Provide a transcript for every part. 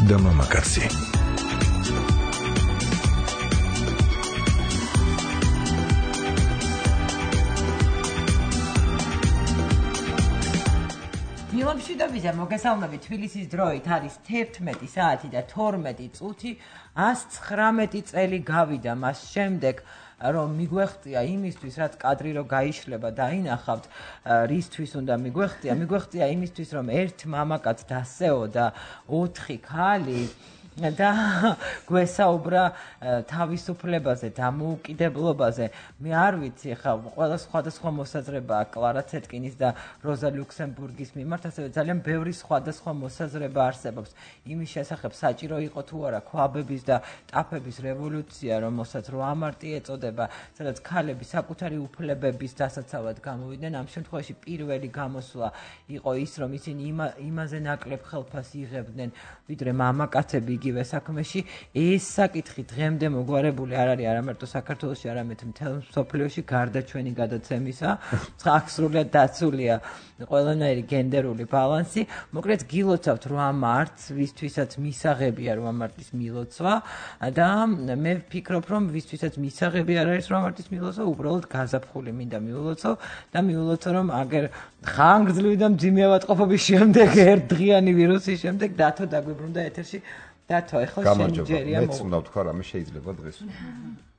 და მამაკაცი. მილობშიდობისა მოგესალმებით თბილისის დროით არის 11 საათი და 12 წუთი 119 წელი გავიდა მას შემდეგ რომ მიგვეღწია იმისთვის რაც კადრი რო გაიშლება და ინახავთ რისთვის უნდა მიგვეღწია იმისთვის რომ ერთ მამაკაც დასეო და 4 ქალი და გვესაუბრა თავისუფლებაზე, დამოუკიდებლობაზე. მე არ ვიცი, ხა ყველა სხვადასხვა მოსაზრება კლარა ცეტკინის და როზა ლუქსემბურგის მიმართ, ასევე ძალიან ბევრი სხვადასხვა მოსაზრება არსებობს. იმის შესახებ საჭირო იყო თუ არა ქვაბების და ტაფების რევოლუცია, რომელსაც 8 მარტი ეწოდება, სადაც ქალები საკუთარი უფლებების დასაცავად გამოვიდნენ. ამ შემთხვევაში პირველი გამოსვლა იყო ის, რომ ისინი იმაზე ნაკლებ ხელფას იღებდნენ, ვიდრე მამაკაცები იგივე საქმეში. ეს საკითხი დღემდე მოგვარებული არ არის არა მარტო საქართველოში, არამედ მთელ მსოფლიოში გარდა ჩვენი გადაცემისა. აქ სრულად დაცულია ყველანაირი გენდერული ბალანსი. მოკლედ გილოცავთ 8 მარტს, ვისთვისაც მისაღებია 8 მარტის მილოცვა და მე ვფიქრობ, რომ ვისთვისაც მისაღები არ არის 8 მარტის მილოცვა, უბრალოდ გაზაფხული მინდა მიულოცო და მიულოცო, რომ აგერ ხანგრძლივი და მძიმე ავადმყოფობის შემდეგ, ერთდღიანი ვირუსის შემდეგ დათო დაგვიბრუნდა ეთერში. დათო, ეხლა შენ ჯერია მეც უნდა ვთქვა, რამე შეიძლება დღეს.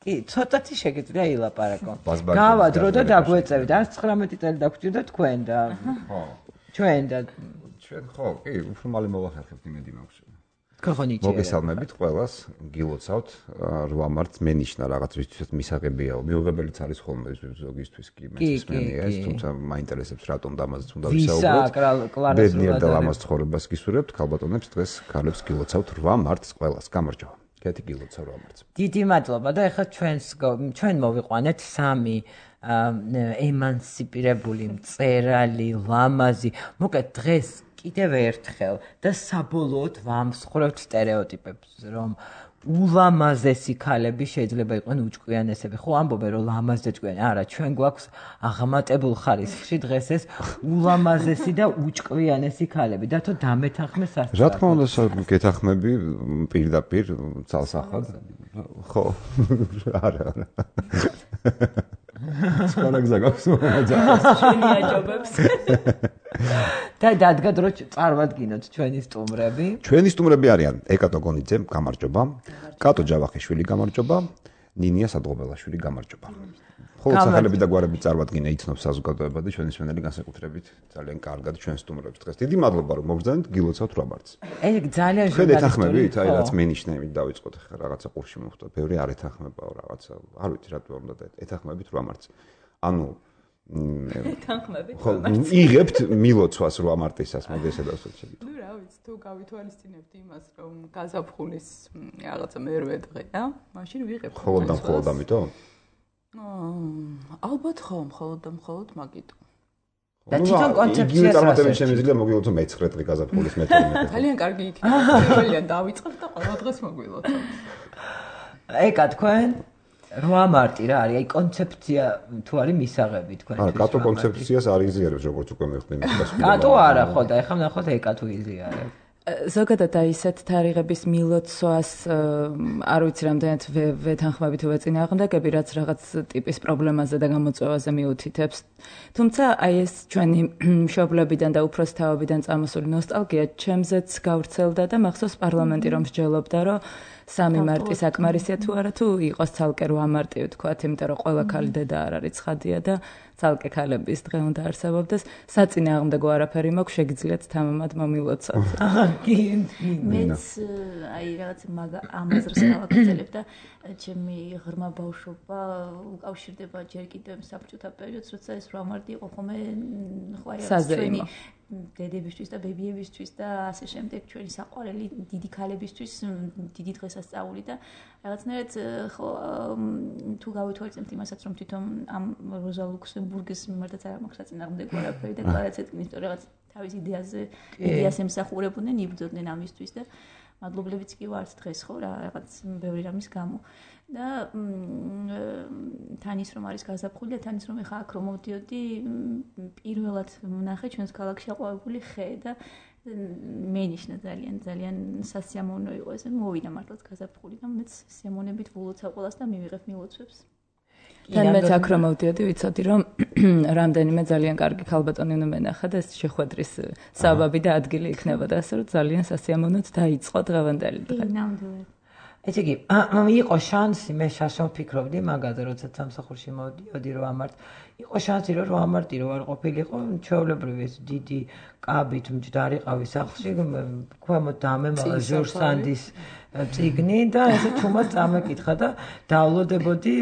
კი, ცოტათი შეგიძლია ilaparaco. გავადრო და დაგვეწევით. 19 წელი დაგვჭირდა თქვენ და ხო. ჩვენ ხო, კი, უფრო მალე მოვახერხებთ იმედი მაქვს. ქოხონიჩი. მოგესალმებით ყველას, გილოცავთ 8 მარტს მენიშნა რაღაც ვისთვისაც მისაღებიაო. მიუღებელიც არის ხოლმე ზოგისთვის კი მეცნიერია ეს, თუმცა მაინტერესებს რატომ დამაზეც უნდა ვისაუბროთ. ბედნიერ და ლამაზ ცხოვრებას გისურვებთ, ქალბატონებს დღეს ქალებს გილოცავთ 8 მარტს ყველას. გამარჯობა. კეთი გილოცავ 8 მარტს. დიდი მადლობა და ეხლა ჩვენ მოვიყვანეთ 3 ემანსიპირებული მწერალი, ლამაზი. მოკლედ დღეს კიდევ ერთხელ და საბოლოოდ ვამსხვრევთ სტერეოტიპებს, რომ ულამაზესი ქალები შეიძლება იყვნენ უჭკვიანესები. ხო ამბობენ რომ ლამაზ და ჭკვიანი. არა, ჩვენ გვაქვს აღმატებულ ხარისხში დღეს ეს ულამაზესი და უჭკვიანესი ქალები. დათო დამეთანხმე სასწრაფოდ. რა თქმა უნდა, გეთანხმები პირდაპირ ძალსახად. ხო. არა. სპარაგზა გაქვს შენი აჯობებს. და დადგა დრო წარვადგინოთ ჩვენი სტუმრები. ჩვენი სტუმრები არიან ეკატო გონიძე, გამარჯობა. კატო ჯავახიშვილი, გამარჯობა. ნინია სადღობელაშვილი, გამარჯობა. ხოლო სახელები და გვარები წარვადგინე იცნობს საზოგადოება და ჩვენი მსმენელი განსაკუთრებით ძალიან კარგად ჩვენ სტუმრებს დღეს. დიდი მადლობა რომ მოგბრძანეთ, გილოცავთ 8 მარტს. ეს ძალიან ჟურნალისტური. ეთანხმებით, აი რაც მენიშნა იმით დავიწყოთ ახლა რაღაცა ყურში მოვხდა. ბევრი არ ეთანხმებაო რაღაცა. არ ვიცი რატო უნდა ეთანხმებით 8 მარტს. ანუ ეთანხმებით. ხო, იღებთ მილოცვას 8 მარტისას, მოდი ესე დავსვათ შეგიძლია. ნუ რა ვიცი, თუ გავითვალისწინებთ იმას, რომ გაზაფხულის რაღაცა მერვე დღეა, მაშინ ვიღებთ. ხოლოდ ამიტომ? ალბათ ხო, მხოლოდ მაგით. და თვითონ კონცეფციას წარმატებით შემიძლია მოგილოცო მე-9 დღე გაზაფხულის მე-12. ძალიან კარგი იქნება. პირველიდან დავიწყებთ და ყველა დღეს მოგილოცოთ. ეკა თქვენ 8 მარტი რა არის? აი კონცეფცია თუ არის მისაღები თქვენ. არა, კატო კონცეფციას არ იზიარებს, როგორც უკვე მეხდი მის. კატო არა ხო და ეხლა ნახოთ ეკა თუ იზიარებს. ზოგადად აი ესეთ თარიღების მილოცვას არ ვიცი რამდენად ვეთანხმებით თუ ვეწინააღმდეგები, რაც რაღაც ტიპის პრობლემაზე და გამოწვევაზე მიუთითებს. თუმცა აი ეს ჩვენი მშობლებიდან და უფროსთაობიდან წამოსული ნოსტალგია ჩემზეც გავრცელდა და მახსოვს პარლამენტი რომ მსჯელობდა, რომ 3 მარტი საკმარისია თუ არა, თუ იყოს ცალკე 8 მარტი ვთქვათ, იმიტომ რომ ყველა ქალი დედა არ არის ცხადია და ცალკე ქალების დღე უნდა არსებობდეს. საწინააღმდეგო არაფერი მაქვს, შეგიძლიათ თამამად მომილოცოთ. მეც აი რაღაც ამაზრს გავაგრძელებ და ჩემი ღრმა ბავშვობა უკავშირდება ჯერ კიდევ საბჭოთა პერიოდს, როცა ეს 8 მარტი იყო ხოლმე საზეიმო. დედებისთვის და ბებიებისთვის და ასე შემდეგ ჩვენი საყვარელი დიდი ქალებისთვის დიდი დღესასწაული და რაღაცნაირად ხო თუ გავითვალისწინებთ იმასაც რომ თვითონ ამ როზა ლუქსემბურგის მიმართაც არ მაქვს საწინააღმდეგო არაფერი და კლარა ცეტკინის რაღაც თავის იდეას ემსახურებოდნენ, იბრძოდნენ ამისთვის და მადლობლებიც კი ვართ დღეს ხო რა რაღაც ბევრი რამის გამო და თანის რომ არის გაზაფხული და თანის რომ ეხა აქ რომ მოვდიოდი პირველად ვნახე ჩვენს ქალაქში აყვავებული ხე და მენიშნა ძალიან სასიამოვნო იყო ეს მოვიდა მართლაც გაზაფხული და მეც სიამოვნებით ვილოცავ ყველას და მივიღებ მილოცვებს. თან მეც აქ რომ მოვდიოდი ვიცოდი რომ რამდენიმე ძალიან კარგი ქალბატონი უნდა მენახა და ეს შეხვედრის საბაბი და ადგილი იქნებოდა ასე რომ ძალიან სასიამოვნოდ დაიწყო დღევანდელი დღე. ნამდვილად. ესე იგი, იყო შანსი, მე შაშომ ფიქრობდი მაგაზე, როცა სამსახურში მოვდიოდი რომ ამართ, იყო შანსი რომ ამარტი რო არ ყოფილიყო, ჩვეულებრივი ეს დიდი კაბით მჯდარი ყავი სახლში, ქვემოთ დამემალა ჟორჟ სანდის წიგნი და ესე თუმად წამეკითხა და დავლოდებოდი,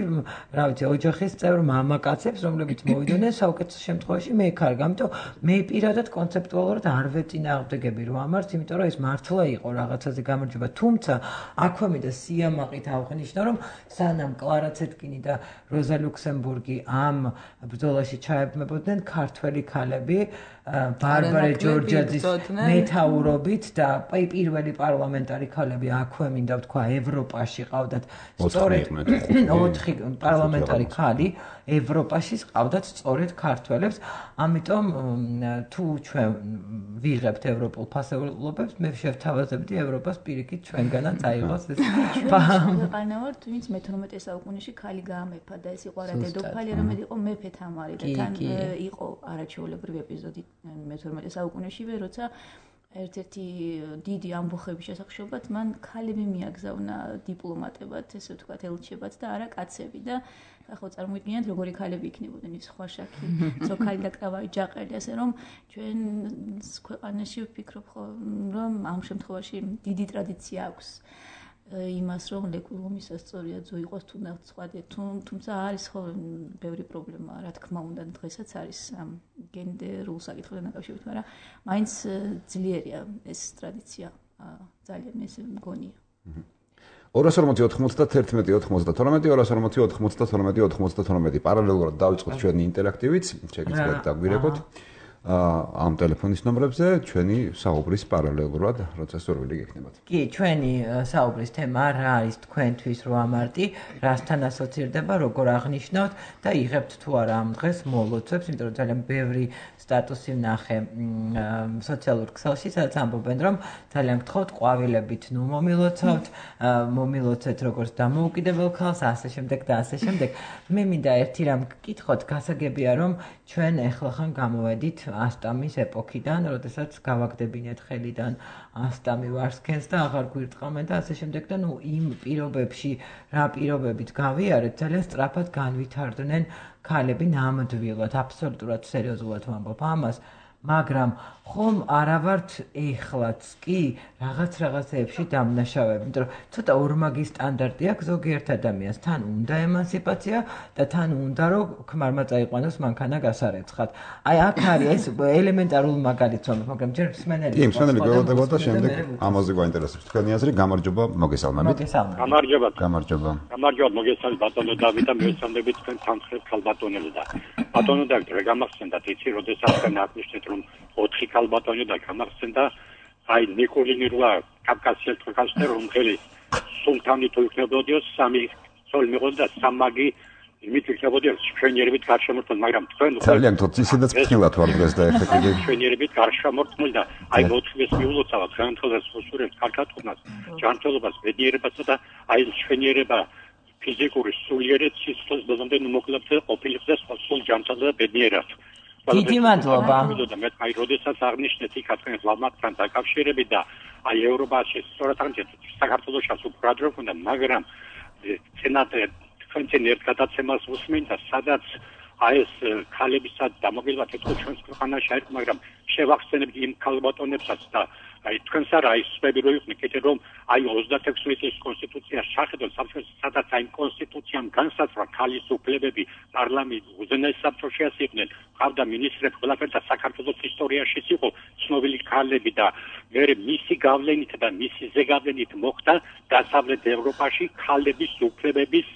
რა ვიცი, ოჯახის წევრ მამაკაცებს, რომლებიც მოვიდნენ საუკეთესო შემთხვევაში მე ხარ, ამიტომ მე პირადად კონცეპტუალურად არ ვეწინააღმდეგები რომ ამართ, იმიტომ რომ ეს მართლა იყო რაღაცაზე გამარჯვება, თუმცა აქვე მინდა სიამაყით აღნიშნო, რომ სანამ კლარა ცეტკინი და როზა ლუქსემბურგი ამ ბრძოლაში ჩაებმებოდნენ ქართველი ქალები ბარბარე ჯორჯაძის მეთაურობით და პირველი პარლამენტარი ქალები აქვე მინდა ვთქვა ევროპაში ყავდათ სწორედ 4 პარლამენტარი ქალი ევროპაში ყავდათ სწორედ ქართველებს ამიტომ თუ ჩვენ ვიღებთ ევროპულ ფასეულობებს მე შევთავაზებდი ევროპას პირიქით ჩვენგანაც აიღოს ეს ქვეყანა ვართ ვინც მე-18 საუკუნეში ქალი გაამეფა და ეს იყო არა დედოფალი არამედ იყო მეფე თამარი და თან იყო არაჩვეულებრივი ეპიზოდი მე-18 საუკუნეშივე როცა ერთ-ერთი დიდი ამბოხების შესახშობად მან ქალები მიაგზავნა დიპლომატებად, ესე ვთქვათ, ელჩებად და არა კაცები და ახლა წარმოიდგინეთ როგორი ქალები იქნებოდნენ ის სხვა შაქი, ზოქალი და კრავარი ჯაყელი, ასე რომ ჩვენ ქვეყანაში ვფიქრობ რომ ამ შემთხვევაში დიდი ტრადიცია აქვს იმას რომ ლეკვილომის ასწორიაძო იყოს თუნდაც სხვა თუმცა არის ხო ბევრი პრობლემა რა თქმა უნდა დღესაც არის ამ გენდერულ საკითხებთან დაკავშირებით მაგრამ მაინც ძლიერია ეს ტრადიცია ძალიან ეს მგონია 240-91-92 პარალელურად დავიწყოთ ჩვენი ინტერაქტივიც შეგიძლიათ დაგვირეკოთ ამ ტელეფონის ნომრებზე ჩვენი საუბრის პარალელურად, როცა სურვილი გექნებათ. კი, ჩვენი საუბრის თემა რა არის თქვენთვის 8 მარტი, რასთან ასოცირდება, როგორ აღნიშნავთ და იღებთ თუ არა ამ დღეს მოლოცვებს, იმიტომ რომ ძალიან ბევრი სტატუსი ვნახე სოციალურ ქსელში, სადაც ამბობენ, რომ ძალიან გთხოვთ ყვავილებით, ნუ მომილოცეთ როგორც დამოუკიდებელ ქალს, ასე შემდეგ და ასე შემდეგ. მე მინდა ერთი რამ გკითხოთ, გასაგებია რომ ჩვენ ეხლახან გამოვედით ასტამის ეპოქიდან, როდესაც გავაგდებინეთ ხელიდან ასტამი ვარსქენს და აღარ გვირტყამენ და ასე შემდეგ და ნუ იმ პირობებში რა პირობებით გავიარეთ, ძალიან სწრაფად განვითარდნენ ქალები ნამდვილად, აბსოლუტურად სერიოზულად ვამბობ ამას, მაგრამ ხომ არა ვართ ეხლაც კი რაღაცეებში დამნაშავეები, იმიტომ რომ ცოტა ორმაგი სტანდარტი აქვს ზოგიერთ ადამიანს, თან უნდა ემანსიპაცია და თან უნდა რომ ქმარმა წაიყვანოს მანქანა გასარეცხად. აი აქ არის ეს ელემენტარული მაგალითი, მაგრამ ჯერ მსმენელი. კი, მსმენელი გველოდებოდა და შემდეგ ამაზე გვაინტერესებს თქვენი აზრი, გამარჯობა, მოგესალმებით. გამარჯობა, მოგესალმებით ბატონო დავით და მოგესალმებით თქვენ სამხრეთ ქალბატონელო და ბატონო დაქტორ, გამახსენდათ იცი, როდესაც თქვენ აღნიშნეთ რომ 4 ქალბატონი და გამახსენდა აი ნიკოლინი რვა კავკასიელ ქვეყანაში რომ ხელი სულთანი თუ იქნებოდიო 3 სოლ მიღოდა სამაგი იმით იქნებოდიო შვენიერებით გარშემორტყმული მაგრამ თქვენ ძალიან თორ ისედაც ფრთხილად ვარ დღეს და ეხლა კიდე შვენიერებით გარშემორტყმული და აი მოთხეს მიულოცავად განთხოვას უსურებს კარგათქმას ჯანმრთელობას ბედნიერებასა და აი შვენიერება ფიზიკური სულიერი სიცოცხლის ბოლომდე მოკლებზე ყოფილიყოს სულ ჯანმრთელობა და ბედნიერად დიდი მადლობა. მე აი როდესაც აღნიშნეთ იქა თქვენ ლამაკთან დაკავშირებით და აი ევროპაში სწორად აღნიშნეთ საქართველოსაც უფრო რო ქონდა მაგრამ სენატი თქვენ ერთ გადაცემას უსმენდა სადაც აი ეს ქალებისაც დამოგილვა თეთრ ჩვენს ქვეყანაში არის მაგრამ შევახსენებთ იმ ქალბატონებსაც და აი თქვენს არა ის სპები რო იყვნენ კიდე რომ აი 36 წლის კონსტიტუცია შეხედოთ სამშობლოს სადაც აი კონსტიტუციამ განსაზღვრა ქალის უფლებები პარლამენტ უზენაეს საბჭოში ასიყვნენ ყავდა მინისტრები ყველაფერი და საქართველოს ისტორიაში იყო ცნობილი ქალები და მე მისი გავლენით და მისი ზეგავლენით მოხდა დასავლეთ ევროპაში ქალების უფლებების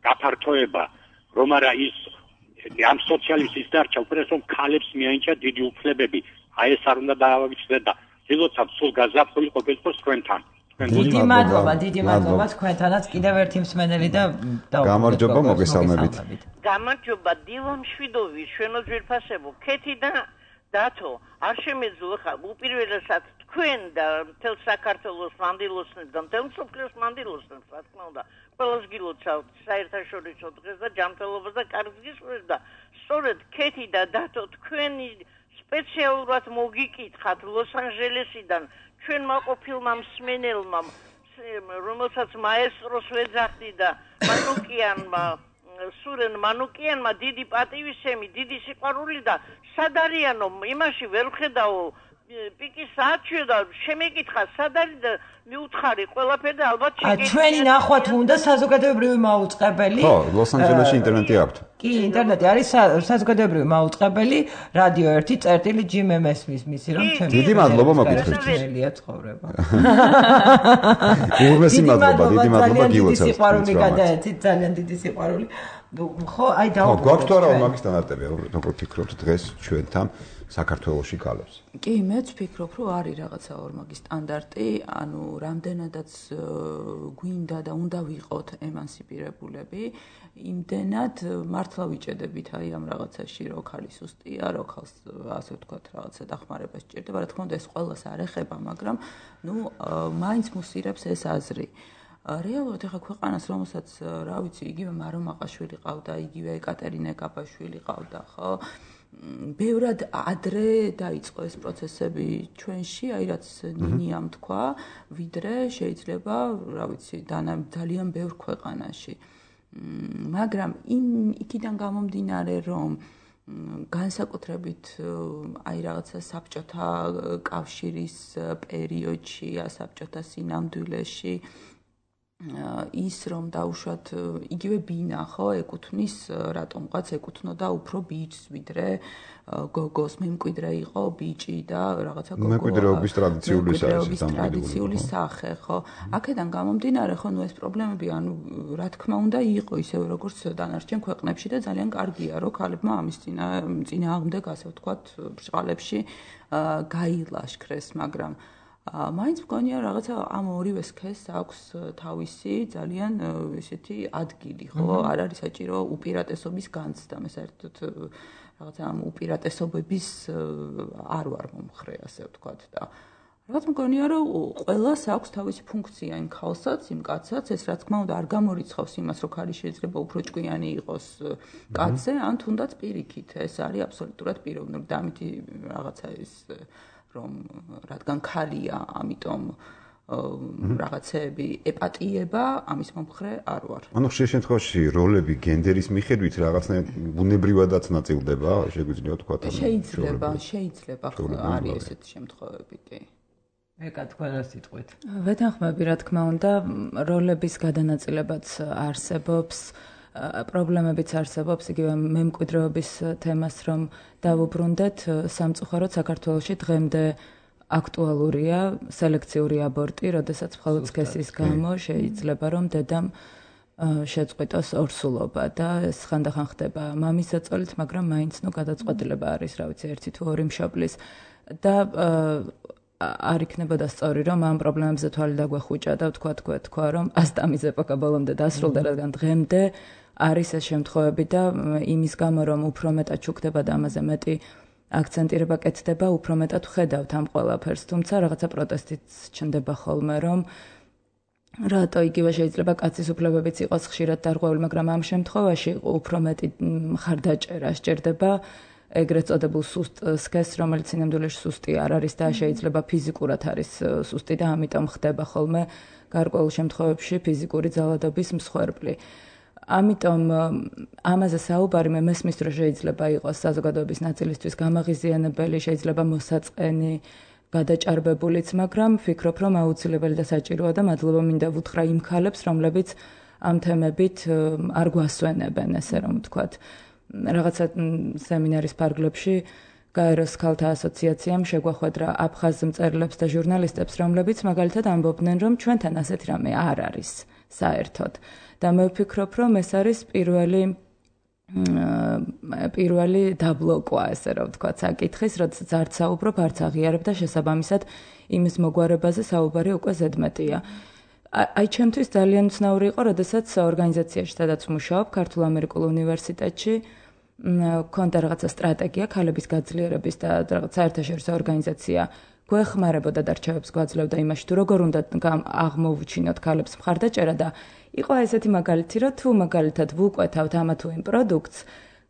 გაფართოება რომ არა ის ამ სოციალისტის დარჩა უბრალოდ რომ ქალებს მიენიჭა დიდი უფლებები აი ეს არ უნდა დაავიწყდეს და დილოცავ სულ გაზაფხული ყოფილიყოს თქვენთან. დიდი მადლობა თქვენთანაც კიდევ ერთი მსმენელი და გამარჯობა მოგესალმებით. გამარჯობა დილო მშვიდობი შვენო ძვირფასებო ქეთი და დათო არ შემეძლო ხა უპირველესად თქვენ და მთელ საქართველოს მანდილოსნებს და მთელ მსოფლიოს მანდილოსნებს რა თქმა უნდა ყველას გილოცავთ საერთაშორისო დღეს და ჯანმრთელობას და კარგს გისურვებთ და სწორედ ქეთი და დათო თქვენი სპეციალურად მოგიკითხათ ლოს-ანჯელესიდან ჩვენმა ყოფილმა მსმენელმა რომელსაც მაესტროს ვეძახდი და მანუკიანმა სურენ მანუკიანმა დიდი პატივისცემი, დიდი სიყვარული და სად არიანო იმაში ვერ ხედავ პიკის საათში და შემეკითხა სად არის და მიუთხარი ყველაფერი და ალბათ შეგეძლო. ჩვენი ნახვა თუ უნდა საზოგადოებრივი მაუწყებელი. ხო, ლოს-ანჯელესში ინტერნეტი აქვს. კი, ინტერნეტი არის საზოგადოებრივი მაუწყებელი, რადიო 1 ჯიმ მესმის მისი რომ ჩემი. დიდი მადლობა მოგითხრით. ძნელია ცხოვრება. უღმესი მადლობა, დიდი მადლობა გილოცავთ. სიყვარული გადაეცით, ძალიან დიდი სიყვარული. ხო, აი დავუბრუნდეთ. ხო, გვაქვს თუ არა მაგის სტანდარტები, როგორ ფიქრობთ დღეს ჩვენთან საქართველოში კალებს? კი, მეც ვფიქრობ, რომ არის რაღაცა ორმაგი სტანდარტი, ანუ რამდენადაც გვინდა და უნდა ვიყოთ ემანსიპირებულები, იმდენად მართლა ვიჭედებით აი ამ რაღაცაში, რო ხალი სუსტია, რო ხალს ასე ვთქვათ, რაღაცა დახმარება სჭირდება, რა თქმა უნდა ეს ყველას არ ეხება, მაგრამ მაინც მუსირებს ეს აზრი. რეალურად ეხა ქვეყანას, რომელსაც რა ვიცი, იგივე მარო მაყაშვილი ყავდა, იგივე ეკატერინე კაპაშვილი ყავდა, ხო? ბევრად ადრე დაიწყო ეს პროცესები ჩვენში, აი რაც ნინიამ თქვა, ვიდრე შეიძლება, რა ვიცი, ძალიან ბევრ ქვეყანაში. მაგრამ იქიდან გამომდინარე, რომ განსაკუთრებით აი რაღაცა საბჭოთა კავშირის პერიოდში, საბჭოთა სინამდვილეში ის რომ დაუშვათ იგივე ბინა ხო ეკუთვნის რატომღაც ეკუთვნოდა უფრო ბიჭს ვიდრე გოგოს მემკვიდრე იყო ბიჭი და რაღაცა გოგო მემკვიდრეობის ტრადიციული სახე ხო აქედან გამომდინარე ხო ეს პრობლემები ანუ რა თქმა უნდა იყო ისევე როგორც დანარჩენ ქვეყნებში და ძალიან კარგია რომ ქალებმა ამის წინააღმდეგ ასე ვთქვათ ბრჭყალებში გაილაშქრეს მაგრამ მაინც მგონია რაღაცა ამ ორივე სქესს აქვს თავისი ძალიან ესეთი ადგილი, ხო? არ არის საჭირო უპირატესობის განცდა, მე საერთოდ რაღაცა ამ უპირატესობების არ ვარ მომხრე, ასე ვთქვათ და რაღაც მგონია რომ ყველას აქვს თავისი ფუნქცია იმ ქალსაც, იმ კაცსაც, ეს რა თქმა უნდა არ გამორიცხავს იმას, რომ ქალი შეიძლება უფრო ჭკვიანი იყოს კაცზე, ან თუნდაც პირიქით, ეს არის აბსოლუტურად პიროვნული და ამით რაღაცა ეს რომ რადგან ქალია, ამიტომ რაღაცეები ეპატიება ამის მომხრე არ ვარ. ანუ ხშირ შემთხვევაში როლები გენდერის მიხედვით რაღაცნაირად ბუნებრივადაც ნაწილდება, შეგვიძლია თქვა თან. შეიძლება არის ესეთი შემთხვევები, კი. ეკა თქვენ სიტყვით. ვეთანხმები რა თქმა უნდა, როლების გადანაწილებაც არსებობს. პრობლემებიც არსებობს იგივე მემკვიდრეობის თემას რომ დავუბრუნდეთ სამწუხაროდ საქართველოში დღემდე აქტუალურია სელექციური აბორტი, როდესაც მხოლოდ სქესის გამო შეიძლება რომ დედამ შეწყვიტოს ორსულობა და ეს ხანდახან ხდება მამის ზეწოლით, მაგრამ მაინც გადაწყვეტილება არის, რა ვიცი, ერთი თუ ორი მშობლის და არ იქნებოდა სწორი რომ ამ პრობლემებზე თვალი დაგვეხუჭა და თქვა რომ ასტამის ეპოქა ბოლომდე დასრულდა, რადგან დღემდე არის ეს შემთხვევები და იმის გამო რომ უფრო მეტად ჩუქდება და ამაზე მეტი აქცენტირება კეთდება, უფრო მეტად ვხედავთ ამ ყველაფერს, თუმცა რაღაცა პროტესტიც ჩნდება ხოლმე რომ რატო იგივე შეიძლება კაცის უფლებებიც იყოს ხშირად დარღვეული, მაგრამ ამ შემთხვევაში უფრო მეტი მხარდაჭერა სჭირდება ეგრეთ წოდებულ სუსტ სქესს, რომელიც სინამდვილეში სუსტი არ არის და შეიძლება ფიზიკურად არის სუსტი და ამიტომ ხდება ხოლმე გარკვეულ შემთხვევებში ფიზიკური ძალადობის მსხვერპლი. ამიტომ ამაზე საუბარი მე მესმის რომ შეიძლება იყოს საზოგადოების ნაწილისთვის გამაღიზიანებელი, შეიძლება მოსაწყენი, გადაჭარბებულიც, მაგრამ ვფიქრობ რომ აუცილებელი და საჭიროა და მადლობა მინდა ვუთხრა იმ ქალებს, რომლებიც ამ თემებით არ გვასვენებენ, ესე რომ ვთქვათ. რაღაცა სემინარის ფარგლებში გაეროს ქალთა ასოციაციამ შეგვახვედრა აფხაზ მწერლებს და ჟურნალისტებს, რომლებიც მაგალითად ამბობდნენ, რომ ჩვენთან ასეთი რამე არ არის საერთოდ. და მე ვფიქრობ, რომ ეს არის პირველი დაბლოკვა, ესე რომ ვთქვათ, საკითხის, როდესაც არც საუბრობ, არც აღიარებ და შესაბამისად იმის მოგვარებაზე საუბარი უკვე ზედმეტია. აი ჩემთვის ძალიან ცნაური იყო, როდესაც ორგანიზაციაში, სადაც ვმუშაობ, ქართულ ამერიკულ უნივერსიტეტში ქონდა რაღაცა სტრატეგია ქალების გაძლიერების და რაღაც საერთაშორისო ორგანიზაცია გვეხმარებოდა და რჩევებს გვაძლევდა იმაში, თუ როგორ უნდა აღმოვუჩინოთ ქალებს მხარდაჭერა და იყო ესეთი მაგალითი, რომ თუ მაგალითად ვუკვეთავთ ამა თუ იმ პროდუქტს,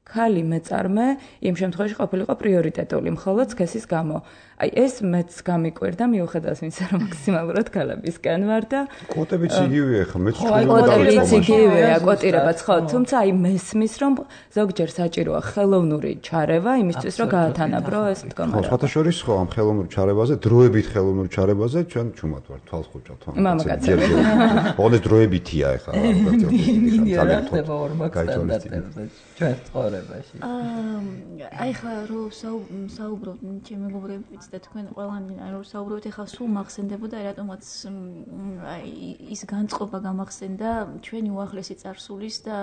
ქალი მეწარმე იმ შემთხვევაში ყოფილიყო პრიორიტეტული, მხოლოდ სქესის გამო. აი ეს მეც გამიკვირდა მიუხედავად იმისა, რომ მაქსიმალურად ქალებისკენ ვარ და კვოტებიც იგივეა ხა მეც კვოტებიც იგივეა, კვოტირებაც ხო, თუმცა აი მესმის რომ ზოგჯერ საჭიროა ხელოვნური ჩარევა იმისთვის, რომ გაათანაბრო ეს მდგომარეობა. ხო, სხვათა შორის ხო ამ ხელოვნურ ჩარევაზე, დროებით ხელოვნურ ჩარევაზე ჩვენ ჩუმად ვარ, თვალს ხუჭავთ. მამაკაცები. ოღონდ დროებითია ეხლა. ძალიან ხდება ორმაქვს სტანდარტებზე ჩვენ ცხოვრებაში. აი ხა რო საუბრობთ ჩემი მეგობრებიც და თქვენ ყველანი რო საუბრობთ ეხლა სულ მახსენდებოდა რატომაც აი ის განწყობა გამახსენდა ჩვენი უახლესი წარსულის და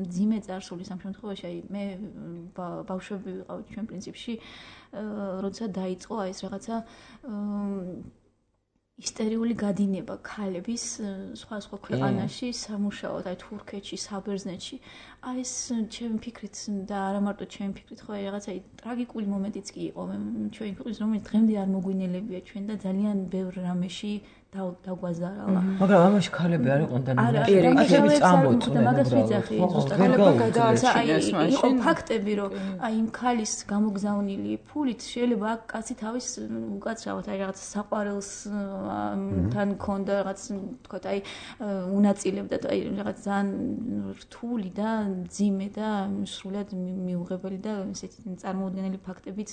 ძიმე წარსულის ამ შემთხვევაში აი მე ბავშვები ვიყავ ჩვენ პრინციპში როცა დაიწყო აი ეს რაღაცა ისტერიული გადინება ქალების სხვა ქვეყანაში სამუშაოდ აი თურქეთში, საბერძნეთში აი ეს ჩემი ფიქრით და არა მარტო ჩემი ფიქრით ხო აი რაღაცა ტრაგიკული მომენტიც კი იყო ჩვენი ქვეყნის რომელიც დღემდე არ მოგვინელებია ჩვენ და ძალიან ბევრ რამეში დაგვაზარალა. მაგრამ ამაში ქალები არ იყვნენ და ქალები წამოწყვნენ. მაგას ვიძახი ზუსტად ქალებმა გადააცა აი იყო ფაქტები რომ აი იმ ქალის გამოგზავნილი ფულით შეიძლება აქ კაცი თავის უკაცრავად აი რაღაც საყვარელს თან ქონდა რაღაც თქვა აი უნაწილებდა აი რაღაც ძალიან რთული და ძიმე და სრულად მიუღებელი და ესეთი წარმოუდგენელი ფაქტებიც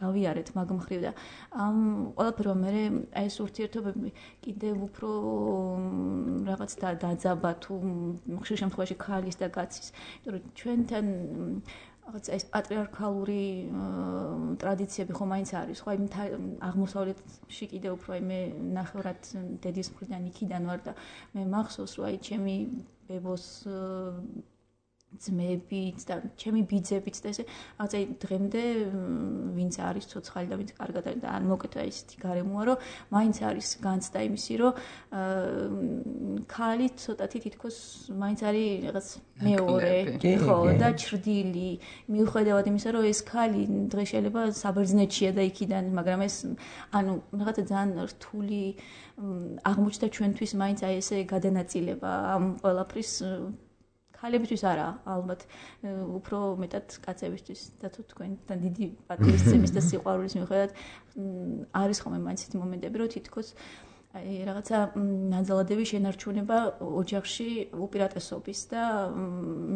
გავიარეთ მაგ მხრივ და ამ ყველაფერმა მე აი ეს ურთიერთობები კიდევ უფრო რაღაც დაძაბა თუ ხშირ შემთხვევაში ქალის და კაცის იმიტომ რომ ჩვენთან რაღაც ეს პატრიარქალური ტრადიციები ხომ მაინც არის ხო აი აღმოსავლეთში კიდევ უფრო აი მე ნახევრად დედის მხრიდან იქიდან ვარ და მე მახსოვს რომ აი ჩემი ბებოს ძმებიც და ჩემი ბიძებიც და ესე რაღაცა დღემდე ვინც არის ცოცხალი და ვინც კარგად არის და არ მოკეთა ისეთი გარემოა რომ მაინც არის განცდა იმისი რომ ქალი ცოტათი თითქოს მაინც არის რაღაც მეორე ხო და ჩრდილი მიუხედავად იმისა რომ ეს ქალი დღეს შეიძლება საბერძნეთშია და იქიდან მაგრამ ეს ანუ რაღაცა ძალიან რთული აღმოჩნდა ჩვენთვის მაინც აი ესე გადანაწილება ამ ყველაფრის ქალებისთვის არა, ალბათ უფრო მეტად კაცებისთვის და თუ თქვენთან დიდი პატრიოტიზმის და სიყვარულის მიუხედავად არის ხოლმე მაინც ისეთი მომენტები, რომ თითქოს აი რაღაცა ნაძალადები შენარჩუნება ოჯახში უპირატესობის და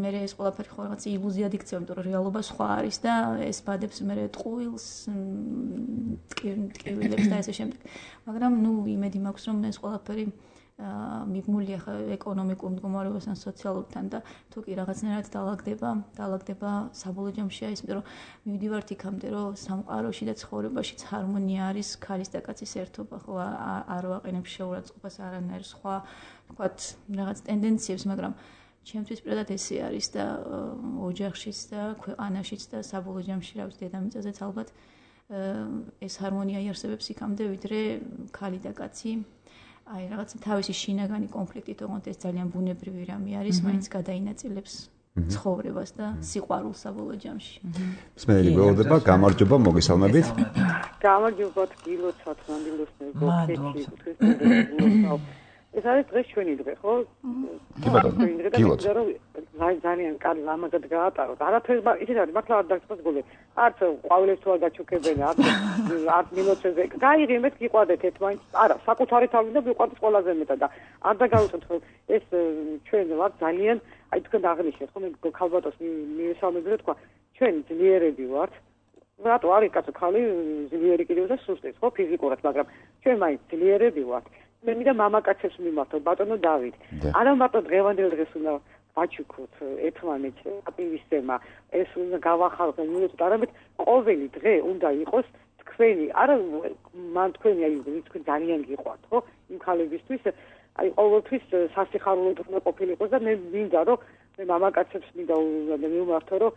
მე ეს ყველაფერი ხო რაღაც ილუზიად იქცევა, იმიტომ რომ რეალობა სხვა არის და ეს ბადებს მე ტყუილს ტკივილებს და ესე შემდეგ. მაგრამ ნუ იმედი მაქვს რომ ეს ყველაფერი მიბმულია ხა ეკონომიკურ მდგომარეობასთან, სოციალურთან და თუ კი რაღაცნაირად დაალაგდება საბოლოო ჯამში ის იმიტომ რომ მივდივართ იქამდე რომ სამყაროში და ცხოვრებაშიც ჰარმონია არის ქალის და კაცის ერთობა ხო არ ვაყენებ შეურაცხყოფას არანაირ სხვა თქვათ რაღაც ტენდენციებს მაგრამ ჩემთვის პირადად ესე არის და ოჯახშიც და ქვეყანაშიც და საბოლოო ჯამში რა ვიცი დედამიწაზეც ალბათ ეს ჰარმონია იარსებებს იქამდე ვიდრე ქალი და კაცი აი რაღაც თავისი შინაგანი კონფლიქტი თუმცა ეს ძალიან ბუნებრივი რამე არის, მაინც გადაინაწილებს ცხოვრებას და სიყვარულს საბოლოო ჯამში. მსმენელი გველოდება, გამარჯობა, მოგესალმებით. გამარჯობა, გილოცავთ, მანდილოსნები, ეს არის დღეს ჩვენი დღე, ხო? კი ბატონო, გილოცავთ. ძალიან კარგი ლამაზად გაატაროთ. არაფერს ისეთ არის, მართლა არ დაგწყვეტ გულე. არც ყვავილებს თუ არ გაჩუქებენ, არც მილოცებზე. გაიღიმეთ, გიყვადეთ ერთმანეთს. არა, საკუთარი თავი და გიყვადეთ ყველაზე მეტად და არ დაგავიწყოთ, რომ ეს ჩვენ ვართ ძალიან, აი თქვენ აღნიშნეთ, ხო მე ქალბატონს მივესალმები და თქვა, ჩვენ ძლიერები ვართ. რატო არის კაცო ხალი ძლიერი კიდევ და სუსტიც, ხო ფიზიკურად, მაგრამ ჩვენ მაინც ძლიერები ვართ. მე მინდა მამაკაცებს მიმართო, ბატონო დავით. არა მარტო დღევანდელ დღეს უნდა ვაჩუქოთ ერთმანეთს აპირისემა ეს უნდა გავახალოთ მივეცოთ არამედ ყოველი დღე უნდა იყოს თქვენი არა მან თქვენი აი თქვენ ძალიან გიყვართ ხო იმ ხალებისთვის აი ყოველთვის სასიხარულოდ უნდა ყოფილიყოს და მე მინდა რომ მე მამაკაცებს მინდა მივმართო რომ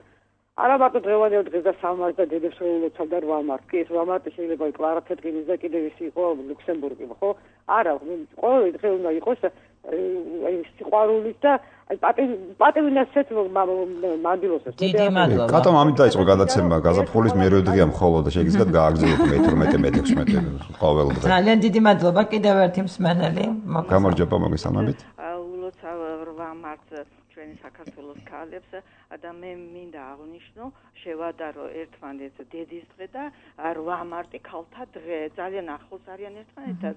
არა მარტო დღევანდელ დღეს და სამარს და დედებს ველოცავ და 8 მარს კი ეს 8 მარტო შეიძლება იყოს კლარა თეთრინის და კიდევ ის იყო ლუქსემბურგი ხო არა ყოველი დღე უნდა იყოს სიყვარულით და პატივნესეთ მანდილოსებს. დიდი მადლობა. კატომ ამით დაიწყო გადაცემა, გაზაფხულის მერვე დღეა მხოლოდ და შეგიძლიათ გააგრძელოთ მე-12-მე-16 ყოველდღე. ძალიან დიდი მადლობა კიდევ ერთი მსმენელი. გამარჯობა, მოგესალმებით. ულოცავ 8 მარტს ჩვენი საქართველოს ქალებს და მე მინდა აღნიშნო შევადარო ერთმანეთს დედის დღე და 8 მარტი ქალთა დღე ძალიან ახლოს არიან ერთმანეთთან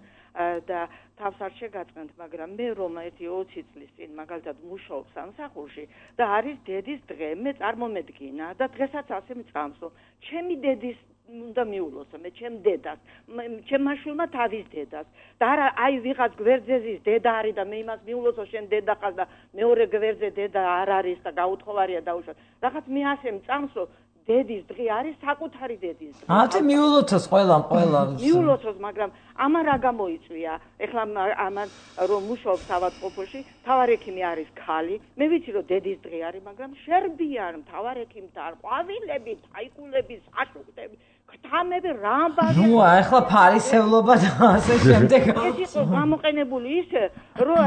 და თავს არ შეგაწყენთ, მაგრამ მე რომ 1-20 წლის წინ მაგალითად მუშაობ სამსახურში და არის დედის დღე, მე წარმომედგინა და დღესაც ასე მწამსო. ჩემი დედის უნდა მიულოცო მე ჩემ დედას, ჩემმა შვილმა თავის დედას და არა აი ვიღაც გვერდზეზის დედა არის და მე იმას მიულოცო შენ დედა ხარ და მეორე გვერდზე დედა არ არის და გაუთხოვარია დაუშვათ. რაღაც მე ასე მწამსო დედის დღე არის საკუთარი დედის დღე. ათე მიულოცოს ყველა. მიულოცოს, მაგრამ ამან რა გამოიწვია? ეხლა ამან რომ მუშაობს ავადმყოფოში, მთავარ ექიმი არის ქალი. მე ვიცი რომ დედის დღე არის, მაგრამ შერბიან მთავარ ექიმთან, ყვავილები, თაიკულები, საშუქტები, ქთამები, რამბანი. ნუ ახლა ფარისევლობა და ასე შემდეგ. ეს იყო გამოყენებული ისე, რომ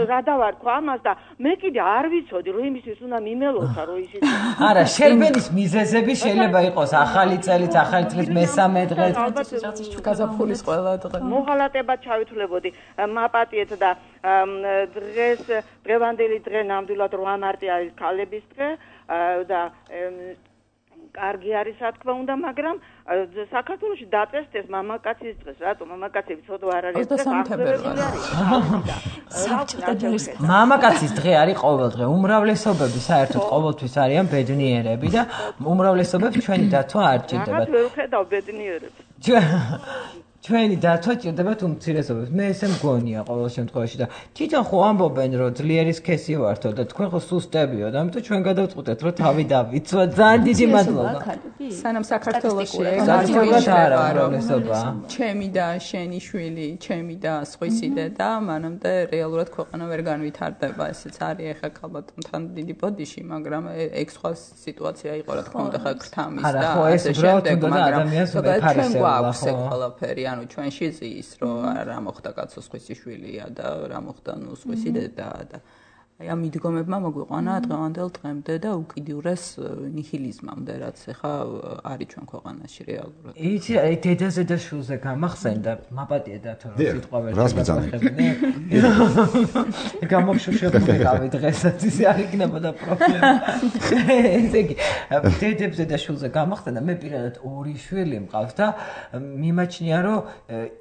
რა დავარქვა ამას და მე კიდე არ ვიცოდი, რომ იმისთვის უნდა მიმელოცა, რომ ისიც. არა, შერბენის მიზეზები შეიძლება იყოს ახალი წელიც, ახალი წლის მესამე დღე. გაზაფხულის ყველა დღე. მოღალატებად ჩავითვლებოდი მაპატიეთ და დღევანდელი დღე ნამდვილად 8 მარტი არის ქალების დღე და კარგი არის რა თქმა უნდა, მაგრამ საქართველოში დაწესდეს მამაკაცის დღეს. რატო მამაკაცები ცოდვა არ არის დღეს? მამაკაცის დღე არის ყოველ დღე. უმრავლესობები საერთოდ ყოველთვის არიან ბედნიერები და უმრავლესობებს ჩვენი დათვა არ ჭირდებათ. რაღაც ვერ ხედავ ბედნიერებს. ჩვენი დათვა ჭირდებათ უმცირესობებს. მე ესე მგონია ყოველ შემთხვევაში და თვითონ ხო ამბობენ რომ ძლიერი სქესი ვართო და თქვენ ხო სუსტებიო და ამიტომ ჩვენ გადავწყვეტეთ რომ თავი დავიცვათ. ძალიან დიდი მადლობა. სანამ საქართველოში ჩემი და შენი შვილი, ჩემი და სხვისი დედა, მანამდე რეალურად ქვეყანა ვერ განვითარდება. ესეც არის ახლა ქალბატონთან დიდი ბოდიში, მაგრამ ეგ სხვა სიტუაცია იყო რა თქმა უნდა ხა ქრთამის და ასე შემდეგ, მაგრამ ჩვენ გვაქვს ეგ ყველაფერი. ანუ ჩვენში ზის რომ რა მოხდა კაცოს ხვისი შვილია და რა მოხდა ნუ ხვისი დედა და აი ამ მიდგომებმა მოგვიყვანა დღევანდელ დღემდე და უკიდურეს ნიჰილიზმამდე რაც ახლა არის ჩვენ ქვეყანაში რეალურად. იცი აი დედაზე და შულზე გამახსენდა მაპატია დათო რომ სიტყვა ვერ შეგახსენე. გამოგშუშებულიყავი დღესაც ისე არ იქნებოდა პრობლემა. ესე იგი დედებზე და შულზე გამახსენდა მე პირადად 2 შვილი მყავს და მიმაჩნია რომ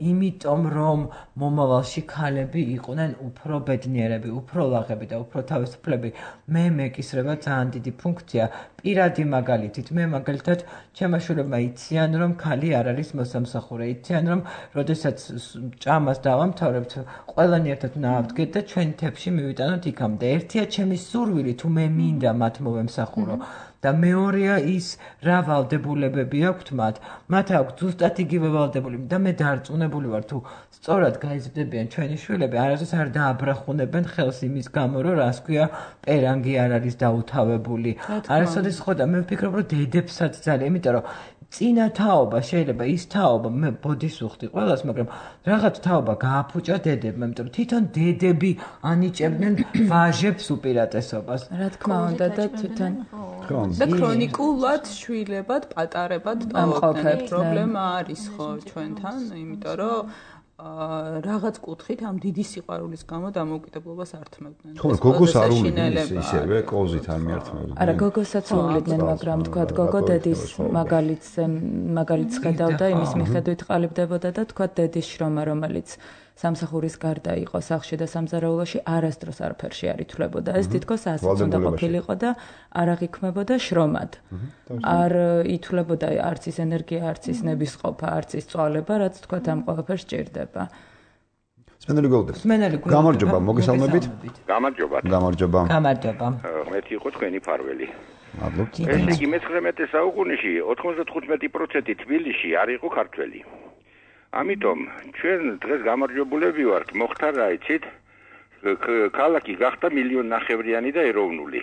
იმიტომ რომ მომავალში ქალები იყვნენ უფრო ბედნიერები, უფრო ლაღები და უფრო თავისუფლები, მე მეკისრება ძალიან დიდი ფუნქცია. პირადი მაგალითით, მე მაგალითად ჩემმა შვილებმა იციან რომ ქალი არ არის მოსამსახურე, იციან რომ როდესაც ჭამას დავამთავრებთ, ყველანი ერთად ნავდგეთ და ჩვენ თებში მივიტანოთ იქამდე. ერთია ჩემი სურვილი თუ მე მინდა მათ მოვემსახურო. და მეორეა ის რა ვალდებულებები აქვთ მათ აქვთ ზუსტად იგივე ვალდებულები და მე დარწმუნებული ვარ თუ სწორად გაიზრდებიან ჩვენი შვილები არასდროს არ დააბრახუნებენ ხელს იმის გამო რომ რას ქვია პერანგი არ არის დაუთავებული არასოდეს ხო და მე ვფიქრობ რომ დედებსაც ძალიან იმიტომ რომ წინა თაობა შეიძლება ის თაობა მე ბოდის ვუხდი ყველას მაგრამ რაღაც თაობა გააფუჭა დედებმა იმიტომ რომ თვითონ დედები ანიჭებდნენ ვაჟებს უპირატესობას რა თქმა უნდა და თვითონ და ქრონიკულად შვილებად პატარებად ტოვებდნენ პრობლემა არის ხო ჩვენთან იმიტომ რომ რაღაც კუთხით ამ დიდი სიყვარულის გამო დამოუკიდებლობას ართმევდნენ. ხო, გოგოს არ უვლიდნენ ისევე, კოზით არ მიართმევდნენ. არა, გოგოსაც უვლიდნენ, მაგრამ თქვა გოგო დედის მაგალითს ხედავდა, იმის მიხედვით ყალიბდებოდა და თქვა დედის შრომა, რომელიც სამსახურის გარდა იყო სახლში და სამზარეულოში არასდროს არაფერში არ ითვლებოდა. ეს თითქოს ასეც უნდა ყოფილიყო და არ აღიქმებოდა შრომად. არ ითვლებოდა არც ის ენერგია, არც ის ნებისყოფა, არც ის წვალება, რაც თქვა ამ ყველაფერს ჭირდება. სმენელი გოლდეს. გამარჯობა, მოგესალმებით. გამარჯობა. გამარჯობა. იყო თქვენი ფარველი. მადლობთ. ესე იგი მე-19 საუკუნეში 95% თბილისში არ იყო ქართველი. ამიტომ ჩვენ დღეს გამარჯვებულები ვართ, მოხდა რა იცით? ქალაქი გახდა 1.5 მილიონი და ეროვნული.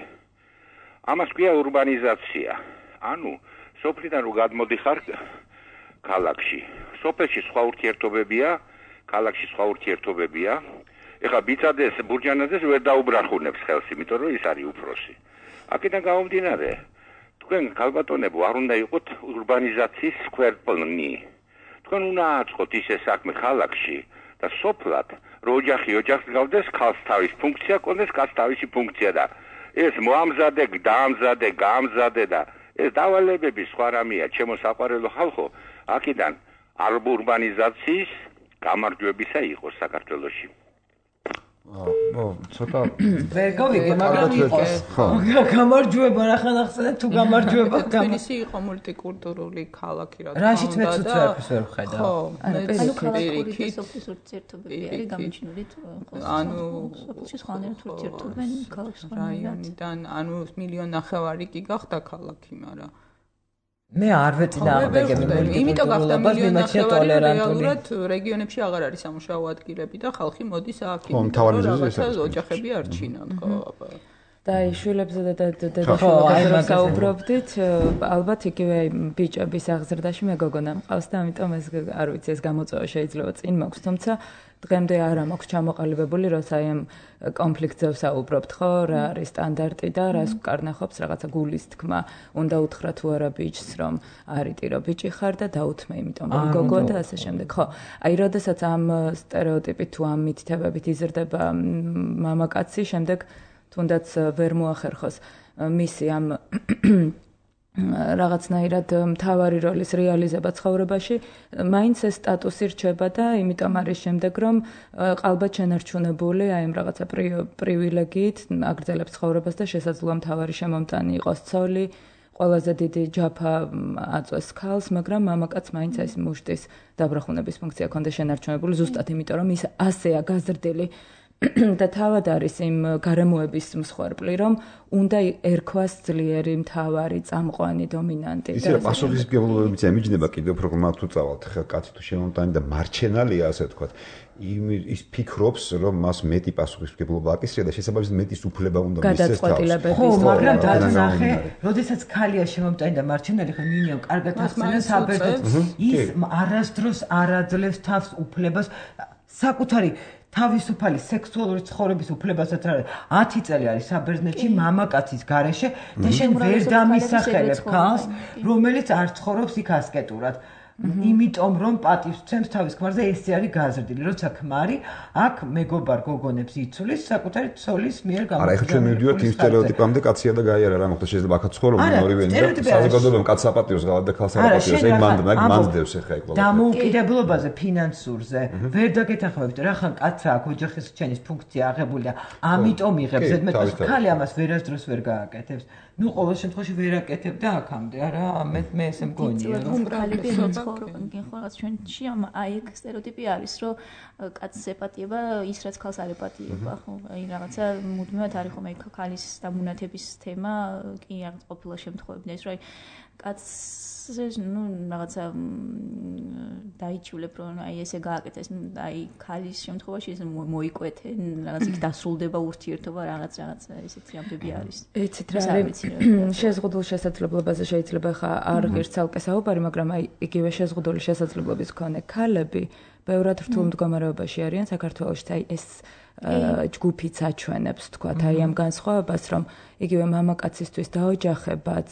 ამას ქვია ურბანიზაცია. ანუ სოფლიდან რო გადმოდიხარ ქალაქში. სოფელში სხვა ურთიერთობებია, ქალაქში სხვა ურთიერთობებია ეხლა ბიცადეს ბურჯანაძეს ვერ დაუბრახუნებს ხელს, იმიტომ რომ ის არის უფროსი. აქედან გამომდინარე, თქვენ ქალბატონებო არ უნდა იყოთ ურბანიზაციის სკვერპლნი. თქვენ უნდა აწყოთ ისე საქმე ხალხში და სოფლად, რომ ოჯახი ოჯახს გავდეს, ქალს თავის ფუნქცია კონდეს, კაცს თავისი ფუნქცია და ეს მოამზადე, დაამზადე, გაამზადე და ეს დავალებები სხვა რამეა, ჩემო საყვარელო ხალხო, აქედან ურბანიზაციის გამარჯვებისა იყოს საქართველოში. ცოტა ვერ გავიგე, მაგრამ იყოს. გამარჯვება რა ხანახსენე თუ გამარჯვება თბილისი იყო მულტიკულტურული ქალაქი რა. რაშიც მეც უცებებს ვერ ვხედავ. ანუ ქალაქური და სოფლის ურთიერთობები არის გამიჩნული თუ ანუ სოფლში სხვანაირად ურთიერთობენ ქალაქის რაიონიდან, ანუ 1.5 მილიონი კი გახდა ქალაქი, მაგრამ მე არ ვეწინააღმდეგები იმიტომ გახდა 1.5 მილიონი რეალურად რეგიონებში აღარ არის სამუშაო ადგილები და ხალხი მოდის აქ რაღაცა ოჯახები არჩინან ხო და შვილებზე და დედაშვილებზე საუბრობდით ალბათ იგივე ბიჭების აღზრდაში მეგონა მყავს და ამიტომ ეს არ ვიცი ეს გამოწვევა შეიძლება წინ მაქვს თუმცა დღემდე არ მაქვს ჩამოყალიბებული როცა აი ამ კონფლიქტზე ვსაუბრობთ ხო რა არის სტანდარტი და რას ვკარნახობს რაღაცა გულის თქმა უნდა უთხრა თუ არა ბიჭს რომ არიტირო ბიჭი ხარ და დაუთმე იმიტომ რომ გოგოა და ასე შემდეგ ხო აი როდესაც ამ სტერეოტიპით თუ ამ მითითებებით იზრდება მამაკაცი შემდეგ თუნდაც ვერ მოახერხოს მისი ამ რაღაცნაირად მთავარი როლის რეალიზება ცხოვრებაში მაინც ეს სტატუსი რჩება და იმიტომ არის შემდეგ რომ ყალბად შენარჩუნებული აი ამ რაღაცა პრივილეგიით აგრძელებს ცხოვრებას და შესაძლოა მთავარი შემომტანი იყოს ცოლი ყველაზე დიდი ჯაფა აწვეს ქალს მაგრამ მამაკაც მაინც ეს მუშტის დაბრახუნების ფუნქცია ქონდა შენარჩუნებული ზუსტად იმიტომ რომ ის ასეა გაზრდილი და თავად არის იმ გარემოების მსხვერპლი, რომ უნდა ერქვას ძლიერი მთავარი წამყვანი დომინანტი. ისე რომ პასუხისმგებლობებიც ემიჯნება კიდევ პროგრამა თუ წავალთ, ხა კაცი თუ შემომტანი და მარჩენალია, ასე ვთქვათ. ის ფიქრობს, რომ მას მეტი პასუხისმგებლობა აკისრია და შესაბამისად მეტის უფლება უნდა მისცეს თავს. ხო, მაგრამ დათნახე, როდესაც ქალია შემომტანი და მარჩენალი ხა მინიმუმ კარგად ახსენებს საბერძნეთს, ის არასდროს არ აძლევს თავს უფლებას საკუთარი თავისუფალი სექსუალური ცხოვრების უფლებასაც არის 10 წელი არის საბერძნეთში მამაკაცის გარეშე და შენ ვერ დამისახელებ ქალს რომელიც არ ცხოვრობს იქ ასკეტურად იმიტომ რომ პატივს ცემს თავის ქმარზე ესე არის გაზრდილი როცა ქმარი აქ მეგობარ გოგონებს იცulis საკუთარი ცოლის მიერ გამოსწორებული არა ეხლა ჩვენ მივდივართ იმ სტერეოტიპამდე კაცია და გაიარა რა მოხდა შეიძლება აქაც ცხოვრობენ ორივე და საზოგადოებამ კაცს აპატიოს გავა და ქალს აპატიოს ეგ მანდდებს ეხლა ეგ ყველა დამოუკიდებლობაზე ფინანსურზე ვერ დაგეთანხმებით რა ხან კაცსა აქ ოჯახის რჩენის ფუნქცია აღებული და ამიტომ იღებს ზედმეტად ქალი ამას ვერასდროს ვერ გააკეთებს ну ყოველ შემთხვევაში ვერ აკეთებდა აქამდე არა მე ესე მგონია რომ ქალები ცხოვრობენ ხოლმე ჩვენში აი ეგ სტერეოტიპი არის რომ კაცს ეპატიება ის რაც ქალს არ ეპატიება ხო აი რაღაცა მუდმივად არის ხომ აი ქალის დამუნათების თემა კი რაღაც ყოფილა შემთხვევები ეს რომ კაცს ну რაღაცა დაიჭულებ რომ აი ესე გააკეთეს აი ქალის შემთხვევაში ეს მოიკვეთე რაღაც იქ დასრულდება ურთიერთობა რაღაც ესეთი ამბები არის ეცით რა არის შეზღუდულ შესაძლებლობაზე შეიძლება ხა არ ღირს ცალკე საუბარი მაგრამ აი იგივე შეზღუდული შესაძლებლობის მქონე ქალები ბევრად რთულ მდგომარეობაში არიან საქართველოში აი ეს ჯგუფიც აჩვენებს თქვა აი ამ განსხვავებას რომ იგივე მამაკაცისთვის დაოჯახებაც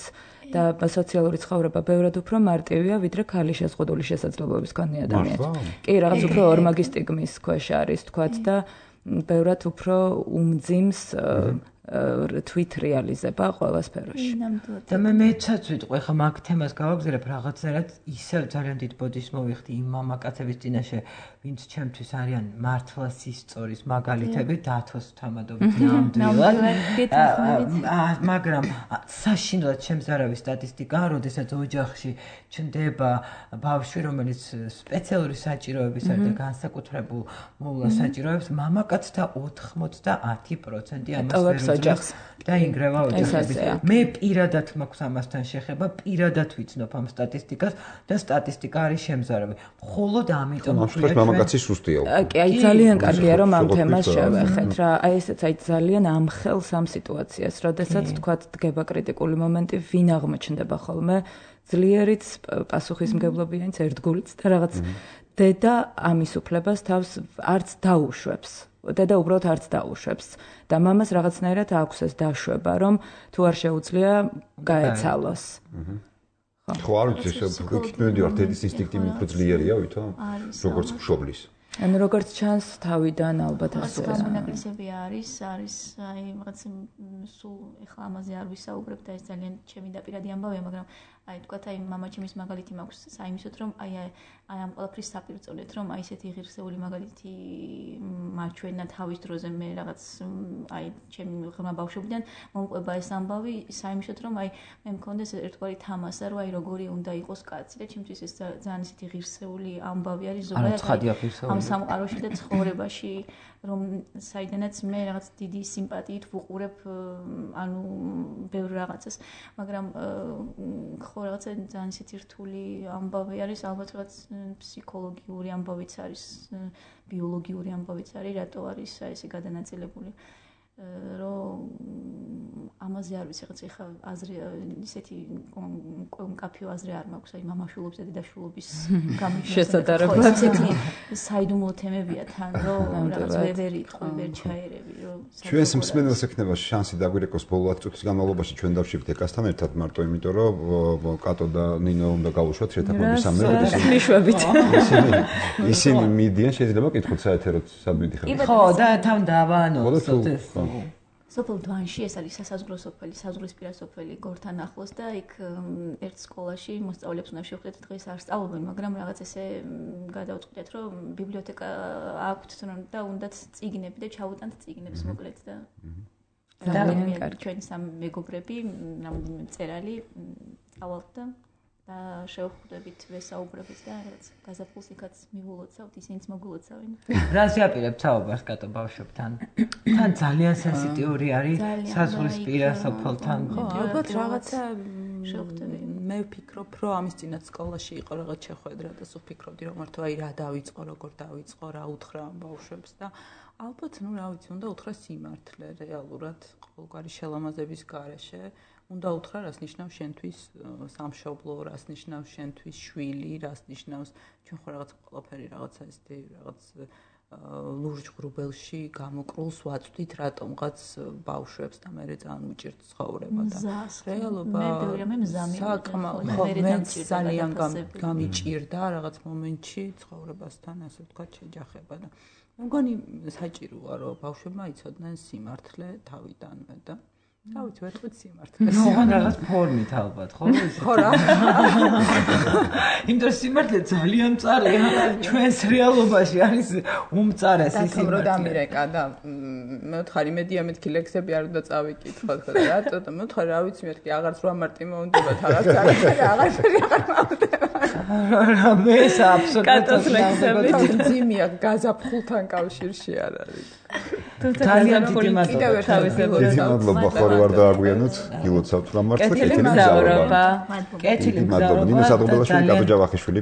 და სოციალური ცხოვრება ბევრად უფრო მარტივია ვიდრე ქალის შეზღუდული შესაძლებლობის მქონე ადამიანს. კი, რაღაც უფრო ორმაგი სტიგმის ქვეშ არის თქვა და ბევრად უფრო უმძიმს თვით რეალიზება ყველა სფეროში. და მეცაც ვიტყვი ხა მაგ თემას გავაგზავნებ რაღაცნაირად ისევ ძალიან დიდ ბოდიშს მოვიხდი იმ მამაკაცების წინაშე ვინც ჩემთვის არიან მართლა სისწორის მაგალითები დათოს თამადობით ნამდვილად მაგრამ საშინლად ჩემს არავის სტატისტიკა როდესაც ოჯახში ჩნდება ბავშვი რომელიც სპეციალური საჭიროების არის და განსაკუთრებულ მოვლა საჭიროებს მამაკაცთა 90% ამას ოჯახს და ინგრევა ოჯახები. მე პირადად მაქვს ამასთან შეხება, პირადად ვიცნობ ამ სტატისტიკას და სტატისტიკა არის შემზარავი. მხოლოდ ამიტომ ვთქვით მამაკაცის სუსტია. კი, აი ძალიან კარგია რომ ამ თემას შევეხეთ რა. აი ესეც აი ძალიან ამხელს ამ სიტუაციას, როდესაც თქვათ დგება კრიტიკული მომენტი, ვინ აღმოჩნდება ხოლმე ძლიერიც პასუხისმგებლობიანიც ერთგულიც და რაღაც დედა ამის უფლებას თავს არც დაუშვებს. დედა უბრალოდ არც დაუშვებს და მამას რაღაცნაირად აქვს ეს დაშვება, რომ თუ არ შეუძლია გაეცალოს. ხო, არ ვიცი, მოვიდივარ, დედის ინსტინქტი უფრო ძლიერია, ვითომ? როგორც მშობლის. ანუ როგორც ჩანს თავიდან ალბათ ასე არის. მონაკლისები არის აი რაღაც სულ ეხლა ამაზე არ ვისაუბრებ და ეს ძალიან ჩემი დაპირადი ამბავია, მაგრამ აი თქვათ აი მამაჩემის მაგალითი მაქვს საიმისოთ რომ აი ამ ყველაფრის საპირწონეთ რომ აი ესეთი ღირსეული მაგალითი მაჩვენა თავის დროზე მე რაღაც აი ჩემი ღრმა ბავშვობიდან მომყვება ეს ამბავი საიმისოთ რომ აი მე მქონდეს ერთგვარი თამასა რომ აი როგორი უნდა იყოს კაცი და ჩემთვის ეს ძალიან ისეთი ღირსეული ამბავი არის ზოგადად ამ სამყაროში და ცხოვრებაში რომ საიდანაც მე რაღაც დიდი სიმპათიით ვუყურებ ანუ ბევრ რაღაცას მაგრამ ხო რაღაცა ძალიან ისეთი რთული ამბავი არის ალბათ რაღაც ფსიქოლოგიური ამბავიც არის ბიოლოგიური ამბავიც არის რატო არის ესე გადანაწილებული რომ ამაზე არ ვიცი რაღაც ეხა აზრი ისეთი მკაფიო აზრი არ მაქვს აი მამაშვილობის და დედაშვილობის შესაძლებლობა ესეთი საიდუმლო თემებია თან რომ რაღაც ვერ იტყვი ვერ ჩაერევი რომ ჩვენს მსმენელს ექნება შანსი დაგვირეკოს ბოლო 10 წუთის განმავლობაში ჩვენ დავშიფრთ ეკასთან ერთად მარტო იმიტომ რომ კატო და ნინო უნდა გავუშვათ შეთანხმების მიშვებით ისინი მიდიან შეიძლება კითხოთ საეთეროთ სადმიდი ხარ ხო და თან დავაანონსოთ ეს სოფელ დვანში ეს არის სასაზღვრო სოფელი, საზღვრისპირა სოფელი გორთან ახლოს და იქ ერთ სკოლაში მოსწავლეებს უნდა შევხვდეთ დღეს არ სწავლობენ, მაგრამ რაღაც ესე გადავწყვიტეთ, რომ ბიბლიოთეკა აქვთ და უნდათ წიგნები და ჩავუტანთ წიგნებს მოკლედ და ძალიან კარგი ჩვენი სამ მეგობრები, რამოდენიმე მწერალი წავალთ და შევხვდებით ვესაუბრებით და რაღაც გაზაფხულს იქაც მივულოცავთ, ისინიც მოგულოცავენ. რას ვიაპირებთ საუბარს კატო ბავშვებთან? თან ძალიან სენსიტიური არის საზღვრისპირა სოფელთან. ალბათ რაღაცა შევხვდები. მე ვფიქრობ, რომ ამის წინათ სკოლაში იყო რაღაც შეხვედრა და სულ ფიქრობდი, რომ მართლა აი რა დავიწყო, როგორ დავიწყო, რა უთხრა ამ ბავშვებს და ალბათ, ნუ რა ვიცი, უნდა უთხრა სიმართლე რეალურად ყოველგვარი შელამაზების გარეშე. უნდა უთხრა რას ნიშნავს შენთვის სამშობლო, რას ნიშნავს შენთვის შვილი, რას ნიშნავს ჩვენ ხო რაღაც ყველაფერი რაღაცა ისეთი რაღაც ლურჯ ღრუბელში გამოკრულს ვაწვდით რატომღაც ბავშვებს და მე ძალიან უჭირთ ცხოვრება და რეალობა საკმაოდ ძალიან გამიჭირდა რაღაც მომენტში ცხოვრებასთან ასე ვთქვათ შეჯახება და მე მგონი საჭიროა რომ ბავშვებმა იცოდნენ სიმართლე თავიდანვე და თავით ვეთქვით სიმართლეს. ნუ რაღაც ფორმით ალბათ, ხო? ხო რა. იმიტომ სიმართლე ძალიან მწარეა. ჩვენს რეალობაში არის უმწარესი სიმართლე. რომ დამირეკა და მე ვთხარი იმედია მეთქი ლექსები არ უნდა წავიკითხოთ და რატო და მე ვთხარი რა ვიცი მეთქი აღარც 8 მარტი მომდებათ რაღაც აღარაფერი აღარ მომდება. მე აბსოლუტურად ლექსები ძიმია გაზაფხულთან კავშირში არ არის. ძალიან დიდი მადლობა ხორი ვარ დააგვიანოთ გილოცავთ რა მართლა კეთილი მგზავრობა კეთილი მგზავრობა ნინო სადღობელაშვილი კატო ჯავახიშვილი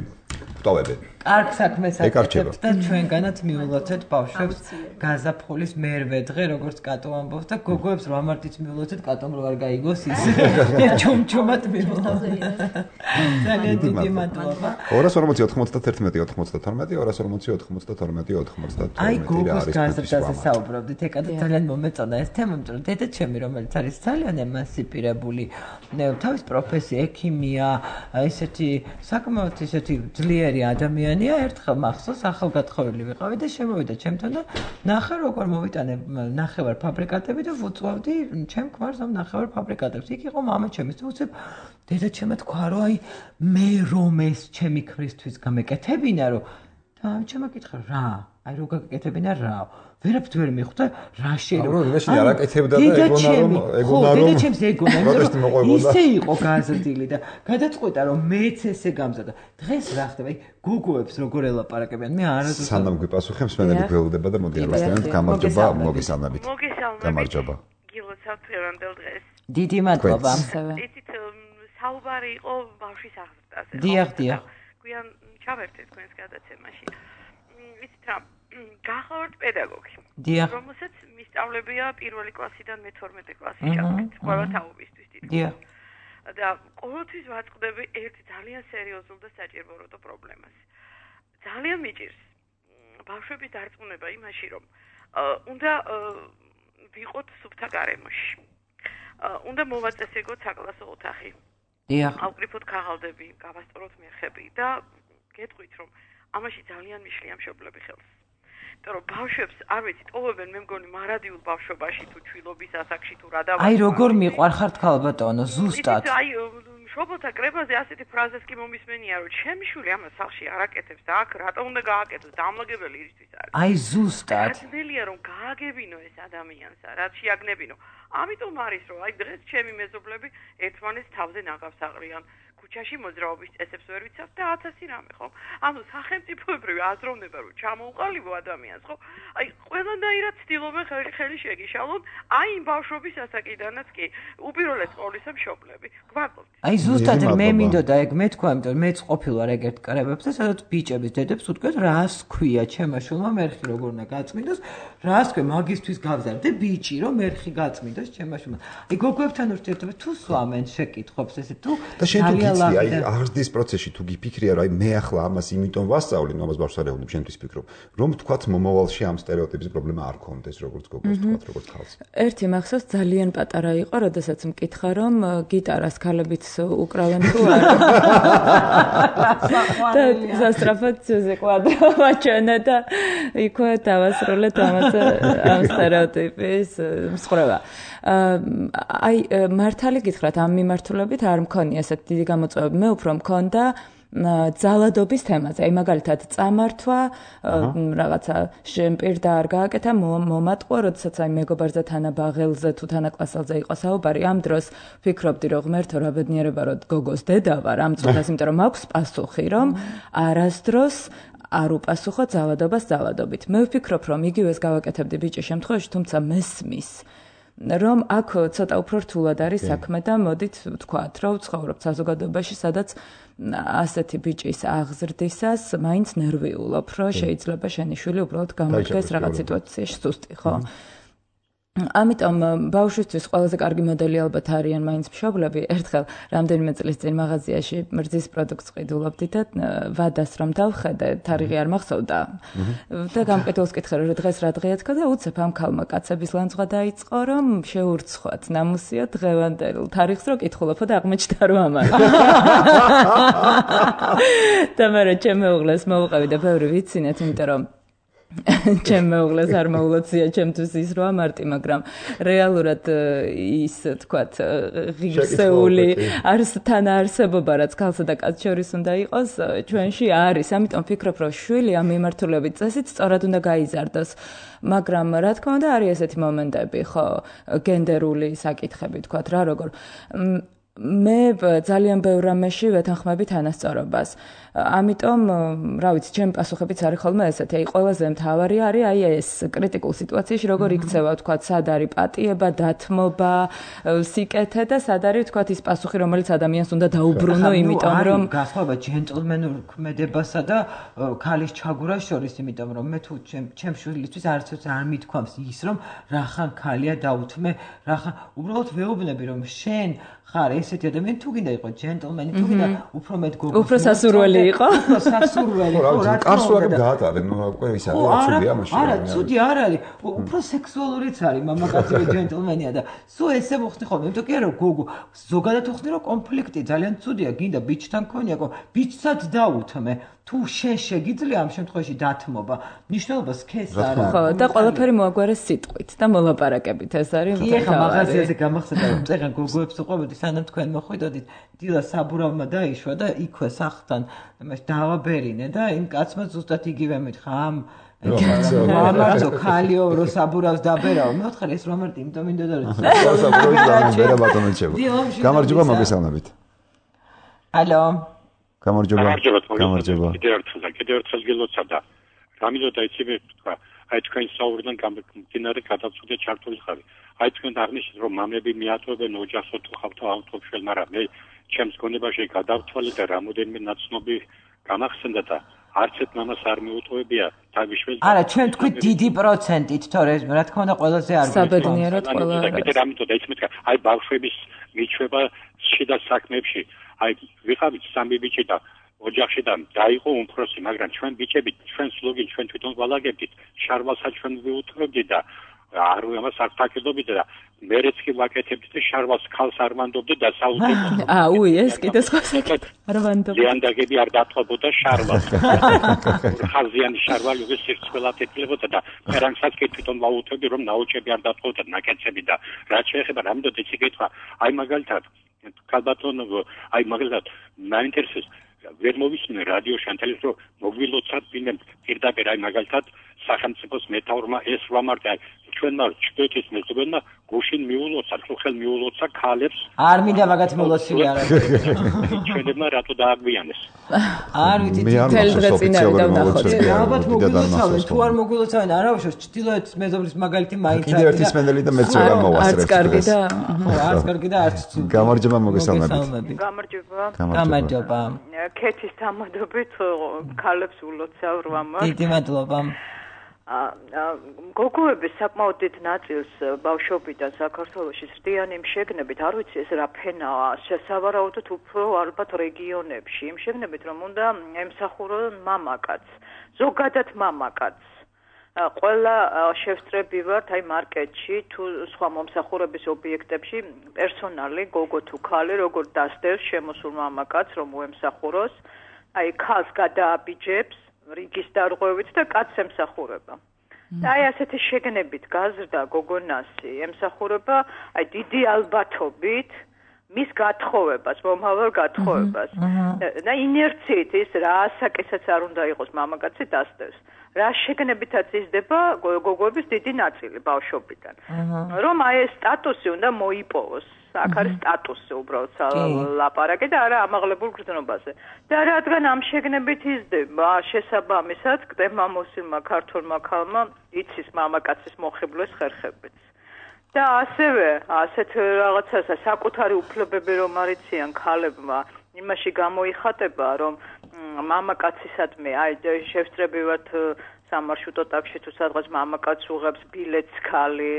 ვტოვებენ კარგ საქმეს აკეთებთ და ჩვენგანაც მიულოცეთ ბავშვებს გაზაფხულის მერვე დღე როგორც კატო ამბობს და გოგოებს 8 მარტიც მიულოცეთ კატომ რო არ გაიგოს ის ჩუმჩუმად მიულოცეთ ძალიან დიდი მადლობა 240 აი გოგოს გაზრდაზე საუბრობდით ეკა ძალიან მომეწონა ეს თემა იმიტომ რომ დედა ჩემი რომელიც არის ძალიან ემანსიპირებული თავის პროფესია ექიმია ესეთი საკმაოდ ესეთი ძლიერი ადამიანია ერთხელ მახსოვს ახალგათხოვილი ვიყავი და შემოვიდა ჩემთან და ნახე როგორ მოვიტანე ნახევარ ფაბრიკატები და ვუწვავდი ჩემ ქმარს ამ ნახევარ ფაბრიკატებს იქ იყო მამა ჩემის და უცებ დედა ჩემმა თქვა რომ აი მე რომ ეს ჩემი ქმრისთვის გამეკეთებინა რომ და ჩემმა კითხა რა აი რო გაკეთებინა რა ვერაფერს ვერ მიხვდა რა შეიძლება რომ იმაში არ აკეთებდა და ეგონა რომ დედა ჩემს ეგონა ისე იყო გაზრდილი და გადაწყვიტა რომ მეც ესე გამზადა დღეს რა ხდება აი გოგოებს როგორ ელაპარაკებიან მე არასდროს სანამ გვიპასუხე მსმენელი გველდება და მოდი არასდროს გამარჯობა მოგესალმებით გამარჯობა გილოცავთ ერანდელ დღეს დიდი მადლობა იცით საუბარი იყო ბავშვის აღზრდაზე დიახ გვიან ჩავერთეთ თქვენს გადაცემაში იცით რა გახლავართ პედაგოგი რომელსაც მისწავლებია პირველი კლასიდან მე-12 კლასში ჩავთქვით ყველა თაობისთვის დიახ და ყოველთვის ვაწყდები ერთ ძალიან სერიოზულ და საჭიროებო პრობლემას ძალიან მიჭირს ბავშვების დარწმუნება იმაში რომ უნდა ვიყოთ სუფთა გარემოში. უნდა მოვაწესებოთ საკლასო ოთახი. დიახ. ავკრიფოთ ქაღალდები, გავასწოროთ მერხები და გეტყვით რომ ამაში ძალიან მიშლია მშობლები ხელს. იმიტომ რომ ბავშვებს არ ვიცით, ოვებენ მე მგონი მარადიულ ბავშვობაში თუ ჩვილობის ასაკში თუ რა დავა. აი როგორ მიყვარხართ ქალბატონო, ზუსტად. აი მშობელთა კრებაზე ასეთი ფრაზას კი მომისმენია რომ ჩემი შვილი ამას სახლში არ აკეთებს და აქ რატომ უნდა გააკეთოს? დამლაგებელი ისთვის არის. აი ზუსტად. გაცნელია რომ გააგებინო ეს ადამიანს, რაც შეაგნებინო. ამიტომ არის რომ აი დღეს ჩემი მეზობლები ერთმანეთს თავზე ნაგავს აყრიან. ქუჩაში მოძრაობის წესებს ვერ ვიცავთ და 1000 რამე ხო? ანუ სახელმწიფოებრივი აზროვნება რომ ჩამოუყალიბო ადამიანს ხო? აი ყველანაირად ცდილობენ ხელი შეგიშალონ, აი იმ ბავშვობის ასაკიდანაც კი. უპირველეს ყოვლისა მშობლები. გვაკლობთ. აი ზუსტად მე მინდოდა ეგ მე თქვა, იმიტომ მეც ყოფილვარ ეგ ერთ კრებებზე, სადაც ბიჭების დედებს უთქვეს, რას ქვია ჩემმა შვილმა მერხი როგორ უნდა გაწმინდოს, რას ქვია მაგისთვის გავზარდე ბიჭი რომ მერხი გაწმინდოს ჩემმა შვილმა. აი გოგოებთან ურთიერთობა თუ სვამენ შეკითხვებს ესე თუ აი აღზრდის პროცესში თუ გიფიქრია რომ აი მე ახლა ამას იმიტომ ვასწავლი, ამას ბავშვს არ ეუბნებ, შენთვის ფიქრობ, რომ თქვათ მომავალში ამ სტერეოტიპის პრობლემა არ ქონდეს, როგორც გოგოს თქვათ, როგორც ხალხს. ერთი მახსოვს ძალიან პატარა იყო, როდესაც მკითხა რომ გიტარას ქალებიც უკრავენ თუ არა. და სასწრაფოდ ძუზე კვადრო მაჩვენა და იქვე დავასრულეთ ამ სტერეოტიპის მსხრევა. აი მართალი გითხრათ ამ მიმართულებით არ მქონია ესეთი დიდი გამოწვევები. მე უფრო მქონდა ძალადობის თემაზე. აი მაგალითად წამართვა, რაღაცა შემპირდა არ გააკეთა, მომატყვა, როდესაც აი მეგობარზე თანაბაღელზე თუ თანაკლასელზე იყო საუბარი, ამ დროს ვფიქრობდი რომ ღმერთო რა ბედნიერება რომ გოგოს დედა ვარ ამ წუთას, იმიტომ რომ მაქვს პასუხი, რომ არასდროს არ უპასუხო ძალადობას ძალადობით. მე ვფიქრობ რომ იგივეს გავაკეთებდი ბიჭის შემთხვევაში, თუმცა მესმის რომ აქ ცოტა უფრო რთულად არის საქმე და მოდით ვთქვათ, რომ ვცხოვრობთ საზოგადოებაში, სადაც ასეთი ბიჭის აღზრდისას მაინც ნერვიულობ, რომ შეიძლება შენი შვილი უბრალოდ გამოდგეს რაღაც სიტუაციაში სუსტი, ხო? ამიტომ ბავშვისთვის ყველაზე კარგი მოდელი ალბათ არიან მაინც მშობლები. ერთხელ რამდენიმე წლის წინ მაღაზიაში მრძის პროდუქტს ყიდულობდი და ვადას რომ დავხედე, თარიღი არ მახსოვდა. და გამყიდულს კითხე რომ დღეს რა დღეა თქო და უცებ ამ ქალმა კაცების ლანძღვა დაიწყო, რომ შეურცხვათ ნამუსიო დღევანდელ თარიღს რო კითხულობო და აღმოჩნდა რომ ამან. და მე ჩემ მეუღლეს მოვუყევი და ბევრი ვიცინეთ, იმიტომ რომ ჩემ მეუღლეს არ მოულოცია ჩემთვის ის რო ამარტი, მაგრამ რეალურად ის თქვათ ღირსეული თან არსებობა რაც ქალსა და კაცს შორის უნდა იყოს ჩვენში არის. ამიტომ ვფიქრობ რომ შვილი ამ მიმართულებით წესით სწორად უნდა გაიზარდოს. მაგრამ რა თქმა უნდა არის ესეთი მომენტები, ხო, გენდერული საკითხები თქვათ რა როგორ მე ძალიან ბევრ რამეში ვეთანხმები თანასწორობას. ამიტომ, რა ვიცი, ჩემი პასუხებიც არის ხოლმე ესეთი. აი, ყველაზე მთავარი არის აი ეს კრიტიკულ სიტუაციაში როგორ იქცევა, თქვათ, სად არის პატიება, დათმობა, სიკეთე და სად არის, თქვათ, ის პასუხი, რომელიც ადამიანს უნდა დაუბრუნო, იმიტომ რომ გასხობა ჯენტლმენურ ქმედებასა და ქალის ჩაგვრას შორის, იმიტომ რომ მე თუ ჩემ შვილისთვის არც არ მithქვამს ის, რომ რახან ქალია დაუთმე, რახან უბრალოდ ვეუბნები, რომ შენ ხარ ესეთი ადამიანი, თუ გინდა იყო ჯენტლმენი, თუ გინდა უფრო მეტ გოგოს, უფრო სასურველი იყო. სასურველი იყო, რა კარსულად გაატარებ, ნუ უკვე ის არის აბსურდია მაშინ. არა, ცუდი არ არის. უფრო სექსუალურიც არის მამაკაცი ჯენტლმენია და სულ ესე მოხდი ხოლმე. იმიტომ კი არა გოგო, ზოგადად ვხდი რომ კონფლიქტი ძალიან ცუდია, გინდა ბიჭთან ქონიაკო, ბიჭსაც დაუთმე. თუ შენ შეგიძლია ამ შემთხვევაში დათმობა, მნიშვნელობა სქეს არ აქვს. ხო, და ყველაფერი მოაგვარეს სიტყვით და მოლაპარაკებით, ეს არის მთავარი. ეხლა მაღაზიაზე გამახსენდა რომ წეგან გოგოებს უყვებოდი, სანამ თქვენ მოხვიდოდით, დილა საბურავმა დაიშვა და იქვე სახლთან დავაბერინე და იმ კაცმა ზუსტად იგივე მითხრა, ამ მამაცო ქალიო რო საბურავს დაბერავ. მე ვთხარ ეს რომ ამარტი, იმიტომ მინდოდა რომ საბურავი და ბატონეჩება. გამარჯობა მოგესალმებით. ალო. გამარჯობა. კიდევ ერთხელ გილოცა და რამიდოდა იცი მე თქვა, აი თქვენ საუბრიდან გამდინარე გადაწყვეტა ჩართული ხარ. აი თქვენ აღნიშნეთ რომ მამები მიატოვებენ ოჯახს თუ ხავთ ავტოფშელ, მაგრამ მე ჩემს გონებაში გადავთვალე და რამოდენიმე ნაცნობი გამახსენდა და არც ერთ მამას არ მიუტოვებია თავიშველი. არა, ჩვენ თქვით დიდი პროცენტით, თორე რა თქმა უნდა ყველაზე არ გვიყვარს. საბედნიეროდ ყველა არის. კიდე რამიდოდა იცი მე თქვა, აი ბავშვების მიჩვევა შიდა საქმეებში. აი ვიყავით სამი ბიჭი და ოჯახში და დაიყო უმცროსი, მაგრამ ჩვენ ბიჭები, ჩვენ სლოგი, ჩვენ თვითონ გვალაგებდით, შარვალსაც ჩვენ ვიუთმობდით და არ ამას არ თაკიდობდით და მერეც კი ვაკეთებდით და შარვალს ქალს არ მანდობდით და საუბრობდით. ეს კიდე სხვა საკითხი. არ მანდობდით. ლიანდაგები არ დათვალებოდა შარვალს. ხაზიანი შარვალი უკვე სირცხვილად ეთქლებოდა და ფერანგსაც კი თვითონ ვაუთმობდი, რომ ნაოჭები არ დათვალებოდა, ნაკეცები და რაც შეეხება რამდენად იცი კითხვა, აი მაგალითად ქალბატონო, აი მაგალითად მაინტერესებს ვერ მოვისმინე რადიოში ან ტელევიზორში მოგვილოცავთ პირდაპირ აი მაგალითად სახელმწიფოს მეთაურმა ეს ვამარტე ჩვენმა ჩრდილოეთის მეზობელმა გუშინ მიულოცა, ხელ მიულოცა ქალებს. არ მინდა მაგათ მოლოცილი არ არის. ჩვენებმა რატო დააგვიანეს? არ ვიცი, თელ დღე წინ არის და ვნახოთ. ალბათ მოგვილოცავენ, თუ არ მოგვილოცავენ, არა უშავს ჩრდილოეთის მეზობლის მაგალითი მაინც კიდევ ერთი სმენელი და მეც ვერ გამოვასწრებ. არც კარგი და არც კარგი და არც გამარჯობა მოგესალმებით. გამარჯობა. ქეთის დამადობით ქალებს ულოცავ 8 მართ. დიდი მადლობა. გოგოების საკმაოდ დიდ ნაწილს ბავშვობიდან საქართველოში ზრდიანი იმ შეგნებით, არ ვიცი ეს რა ფენაა, შესავარაუდოდ უფრო ალბათ რეგიონებში, იმ შეგნებით რომ უნდა ემსახურონ მამაკაცს, ზოგადად მამაკაცს. ყველა შევსწრები ვართ აი მარკეტში თუ სხვა მომსახურების ობიექტებში პერსონალი გოგო თუ ქალი როგორ დასდევს შემოსულ მამაკაცს რომ უემსახუროს, აი ქალს გადააბიჯებს რიგის დარღვევით და კაცს ემსახურება. და აი ასეთი შეგნებით გაზრდა გოგონასი ემსახურება აი დიდი ალბათობით მის გათხოვებას, მომავალ გათხოვებას. და ინერციით ის რა ასაკისაც არ უნდა იყოს მამაკაცი დასდევს. რა შეგნებითაც იზრდება გოგოების დიდი ნაწილი ბავშვობიდან. რომ აი ეს სტატუსი უნდა მოიპოვოს. აქ არის სტატუსი უბრალოდ ლაპარაკი და არა ამაღლებულ გრძნობაზე. და რადგან ამ შეგნებით იზრდება, შესაბამისად კდება მოსილმა ქართულმა ქალმა იცის მამაკაცის მოხიბლვის ხერხებიც. და ასევე ასეთ რაღაცას საკუთარი უფლებები რომ არიციან ქალებმა, იმაში გამოიხატება რომ მამაკაცისადმი აი შევსწრებივად სამარშრუტო ტაქსში თუ სადღაც მამაკაცს უღებს ბილეთს ქალი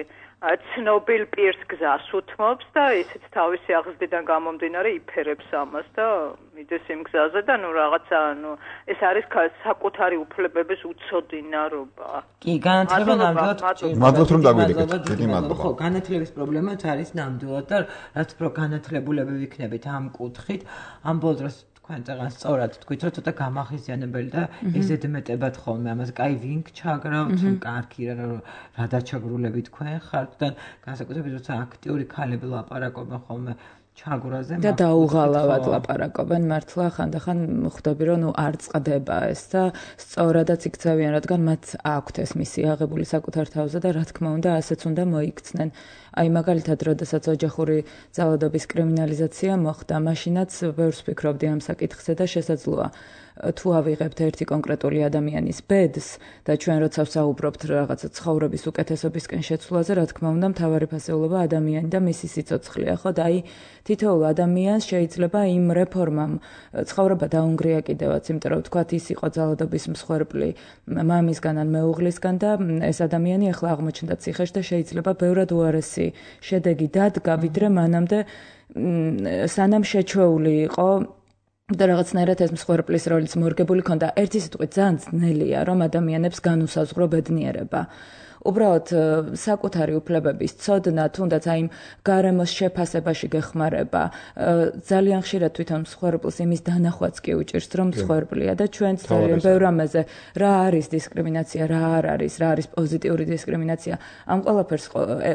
ცნობილ პირს გზას უთმობს და ისიც თავისი აღზრდიდან გამომდინარე იფერებს ამას და მიდის იმ გზაზე და ნუ რაღაცა ნუ ეს არის საკუთარი უფლებების უცოდინარობა. კი, განათლება ნამდვილად მადლობთ რომ დაგვიდეკეთ. დიდი მადლობა. ხო, განათლების პრობლემაც არის ნამდვილად და რაც უფრო განათლებულები ვიქნებით ამ კუთხით, ამ ბოლო დროს თქვენ წეგან სწორად თქვით, რომ ცოტა გამახიზიანებელი და ეზედმეტებად ხოლმე ამას კაი ვინკ ჩაგრავთ, კარგი რა დაჩაგრულები თქვენ ხართ და განსაკუთრებით როცა აქტიური ქალები ლაპარაკობენ ხოლმე ჩაგვრაზე და დაუღალავად ლაპარაკობენ მართლა ხანდახან ხვდები რომ არ წყდება ეს და სწორადაც იქცევიან რადგან მათ აქვთ ეს მისია აღებული საკუთარ თავზე და რა თქმა უნდა ასეც უნდა მოიქცნენ. აი მაგალითად, როდესაც ოჯახური ძალადობის კრიმინალიზაცია მოხდა, მაშინაც ბევრს ვფიქრობდი ამ საკითხზე და შესაძლოა თუ ავიღებთ ერთი კონკრეტული ადამიანის ბედს და ჩვენ როცა ვსაუბრობთ რაღაცა ცხოვრების უკეთესობისკენ შეცვლაზე, რა თქმა უნდა, მთავარი ფასეულობა ადამიანი და მისი სიცოცხლეა, ხო? და აი თითოეულ ადამიანს შეიძლება იმ რეფორმამ ცხოვრება დაუნგრია კიდევაც, იმიტომ რომ თქვათ ის იყო ძალადობის მსხვერპლი მამისგან ან მეუღლისგან და ეს ადამიანი ახლა აღმოჩნდა ციხეში და შეიძლება ბევრად უარესი შედეგი დადგა, ვიდრე მანამდე სანამ შეჩვეული იყო და რაღაცნაირად ეს მსხვერპლის როლიც მორგებული ქონდა. ერთი სიტყვით ძალიან ძნელია, რომ ადამიანებს განუსაზღვრო ბედნიერება. უბრალოდ საკუთარი უფლებების ცოდნა, თუნდაც აი გარემოს შეფასებაში გეხმარება, ძალიან ხშირად თვითონ მსხვერპლს იმის დანახვაც კი უჭირს, რომ მსხვერპლია და ჩვენც ძალიან ბევრ რამეზე რა არის დისკრიმინაცია, რა არ არის, რა არის პოზიტიური დისკრიმინაცია. ამ ყველაფერს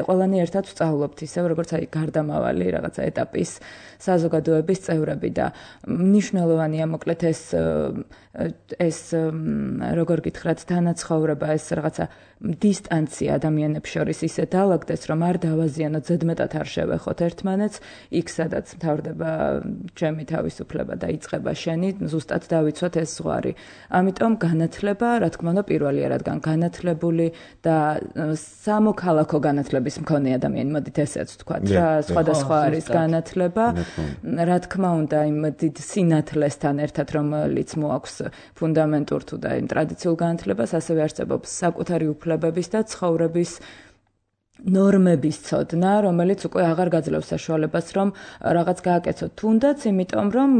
ყველანი ერთად ვსწავლობთ, ისევ როგორც აი გარდამავალი რაღაცა ეტაპის საზოგადოების წევრები და მნიშვნელოვანია მოკლედ ეს როგორ გითხრათ თანაცხოვრება, ეს რაღაცა დისტანცია ადამიანებს შორის ისე დაალაგდეს, რომ არ დავაზიანოთ, ზედმეტად არ შევეხოთ ერთმანეთს, იქ სადაც მთავრდება ჩემი თავისუფლება და იწყება შენი, ზუსტად დავიცვათ ეს ზღვარი. ამიტომ განათლება, რა თქმა უნდა, პირველია, რადგან განათლებული და სამოქალაქო განათლების მქონე ადამიანი, მოდით ესეც ვთქვათ რა, სხვადასხვა არის განათლება, რა თქმა უნდა, იმ დიდ სინათლესთან ერთად, რომელიც მოაქვს ფუნდამენტურ თუ და იმ ტრადიციულ განათლებას, ასევე არსებობს საკუთარი უფლებების და ცხოვრების ნორმების ცოდნა, რომელიც უკვე აღარ გაძლევს საშუალებას, რომ რაღაც გააკეთოთ თუნდაც, იმიტომ რომ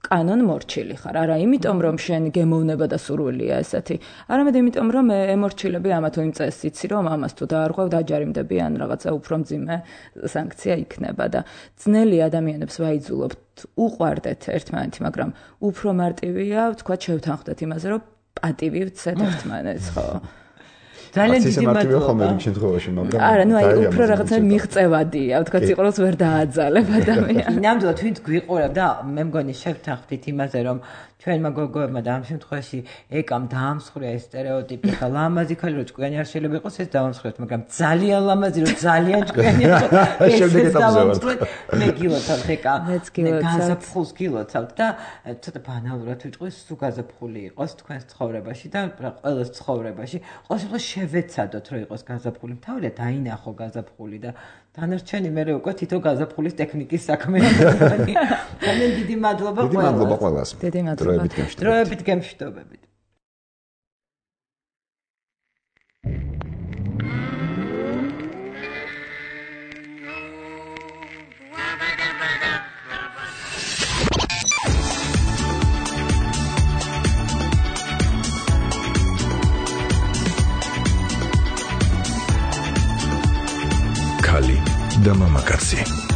კანონ მორჩილი ხარ. არა იმიტომ რომ შენ გემოვნება და სურვილია ესეთი, არამედ იმიტომ რომ ემორჩილები ამა თუ იმ წესს იცი რომ ამას თუ დაარღვევ დაჯარიმდები ან რაღაცა უფრო მძიმე სანქცია იქნება და ძნელი ადამიანებს ვაიძულობთ უყვარდეთ ერთმანეთი, მაგრამ უფრო მარტივია თქვა შევთანხმდეთ იმაზე რომ პატივი ვცეთ ერთმანეთს, ხო? ძალიან დიდი მადლობა ხომ იმ შემთხვევაში, მაგრამ არა, ნუ აი უფრო რაღაცა მიღწევადია, თქვა სიყვარულს ვერ დააძალებ ადამიანს. ნამდვილად ვინც გვიყურებ და მე მგონი შევთანხმდით იმაზე რომ ჩვენმა გოგოებმა და ამ შემთხვევაში ეკამ დაამსხვრია ეს სტერეოტიპი და ლამაზი ქალი რო ჭკვიანი არ შეიძლება იყოს ეს დავამსხვრეთ, მაგრამ ძალიან ლამაზი რო ძალიან ჭკვიანი ეს დავამსხვრეთ. მე გილოცავთ ეკა გაზაფხულს გილოცავთ და ცოტა ბანალურად ვიტყვი სულ გაზაფხული იყოს თქვენს ცხოვრებაში და ყველას ცხოვრებაში ყოველთვის შევეცადოთ რომ იყოს გაზაფხული, თავია დაინახო გაზაფხული და დანარჩენი მე უკვე თითო გაზაფხულის ტექნიკის საქმეა. ძალიან დიდი მადლობა ყველას. დიდი მადლობა ყველას. დიდი მადლობა. დროებით გემშვიდობებით. ქალი და მამაკაცი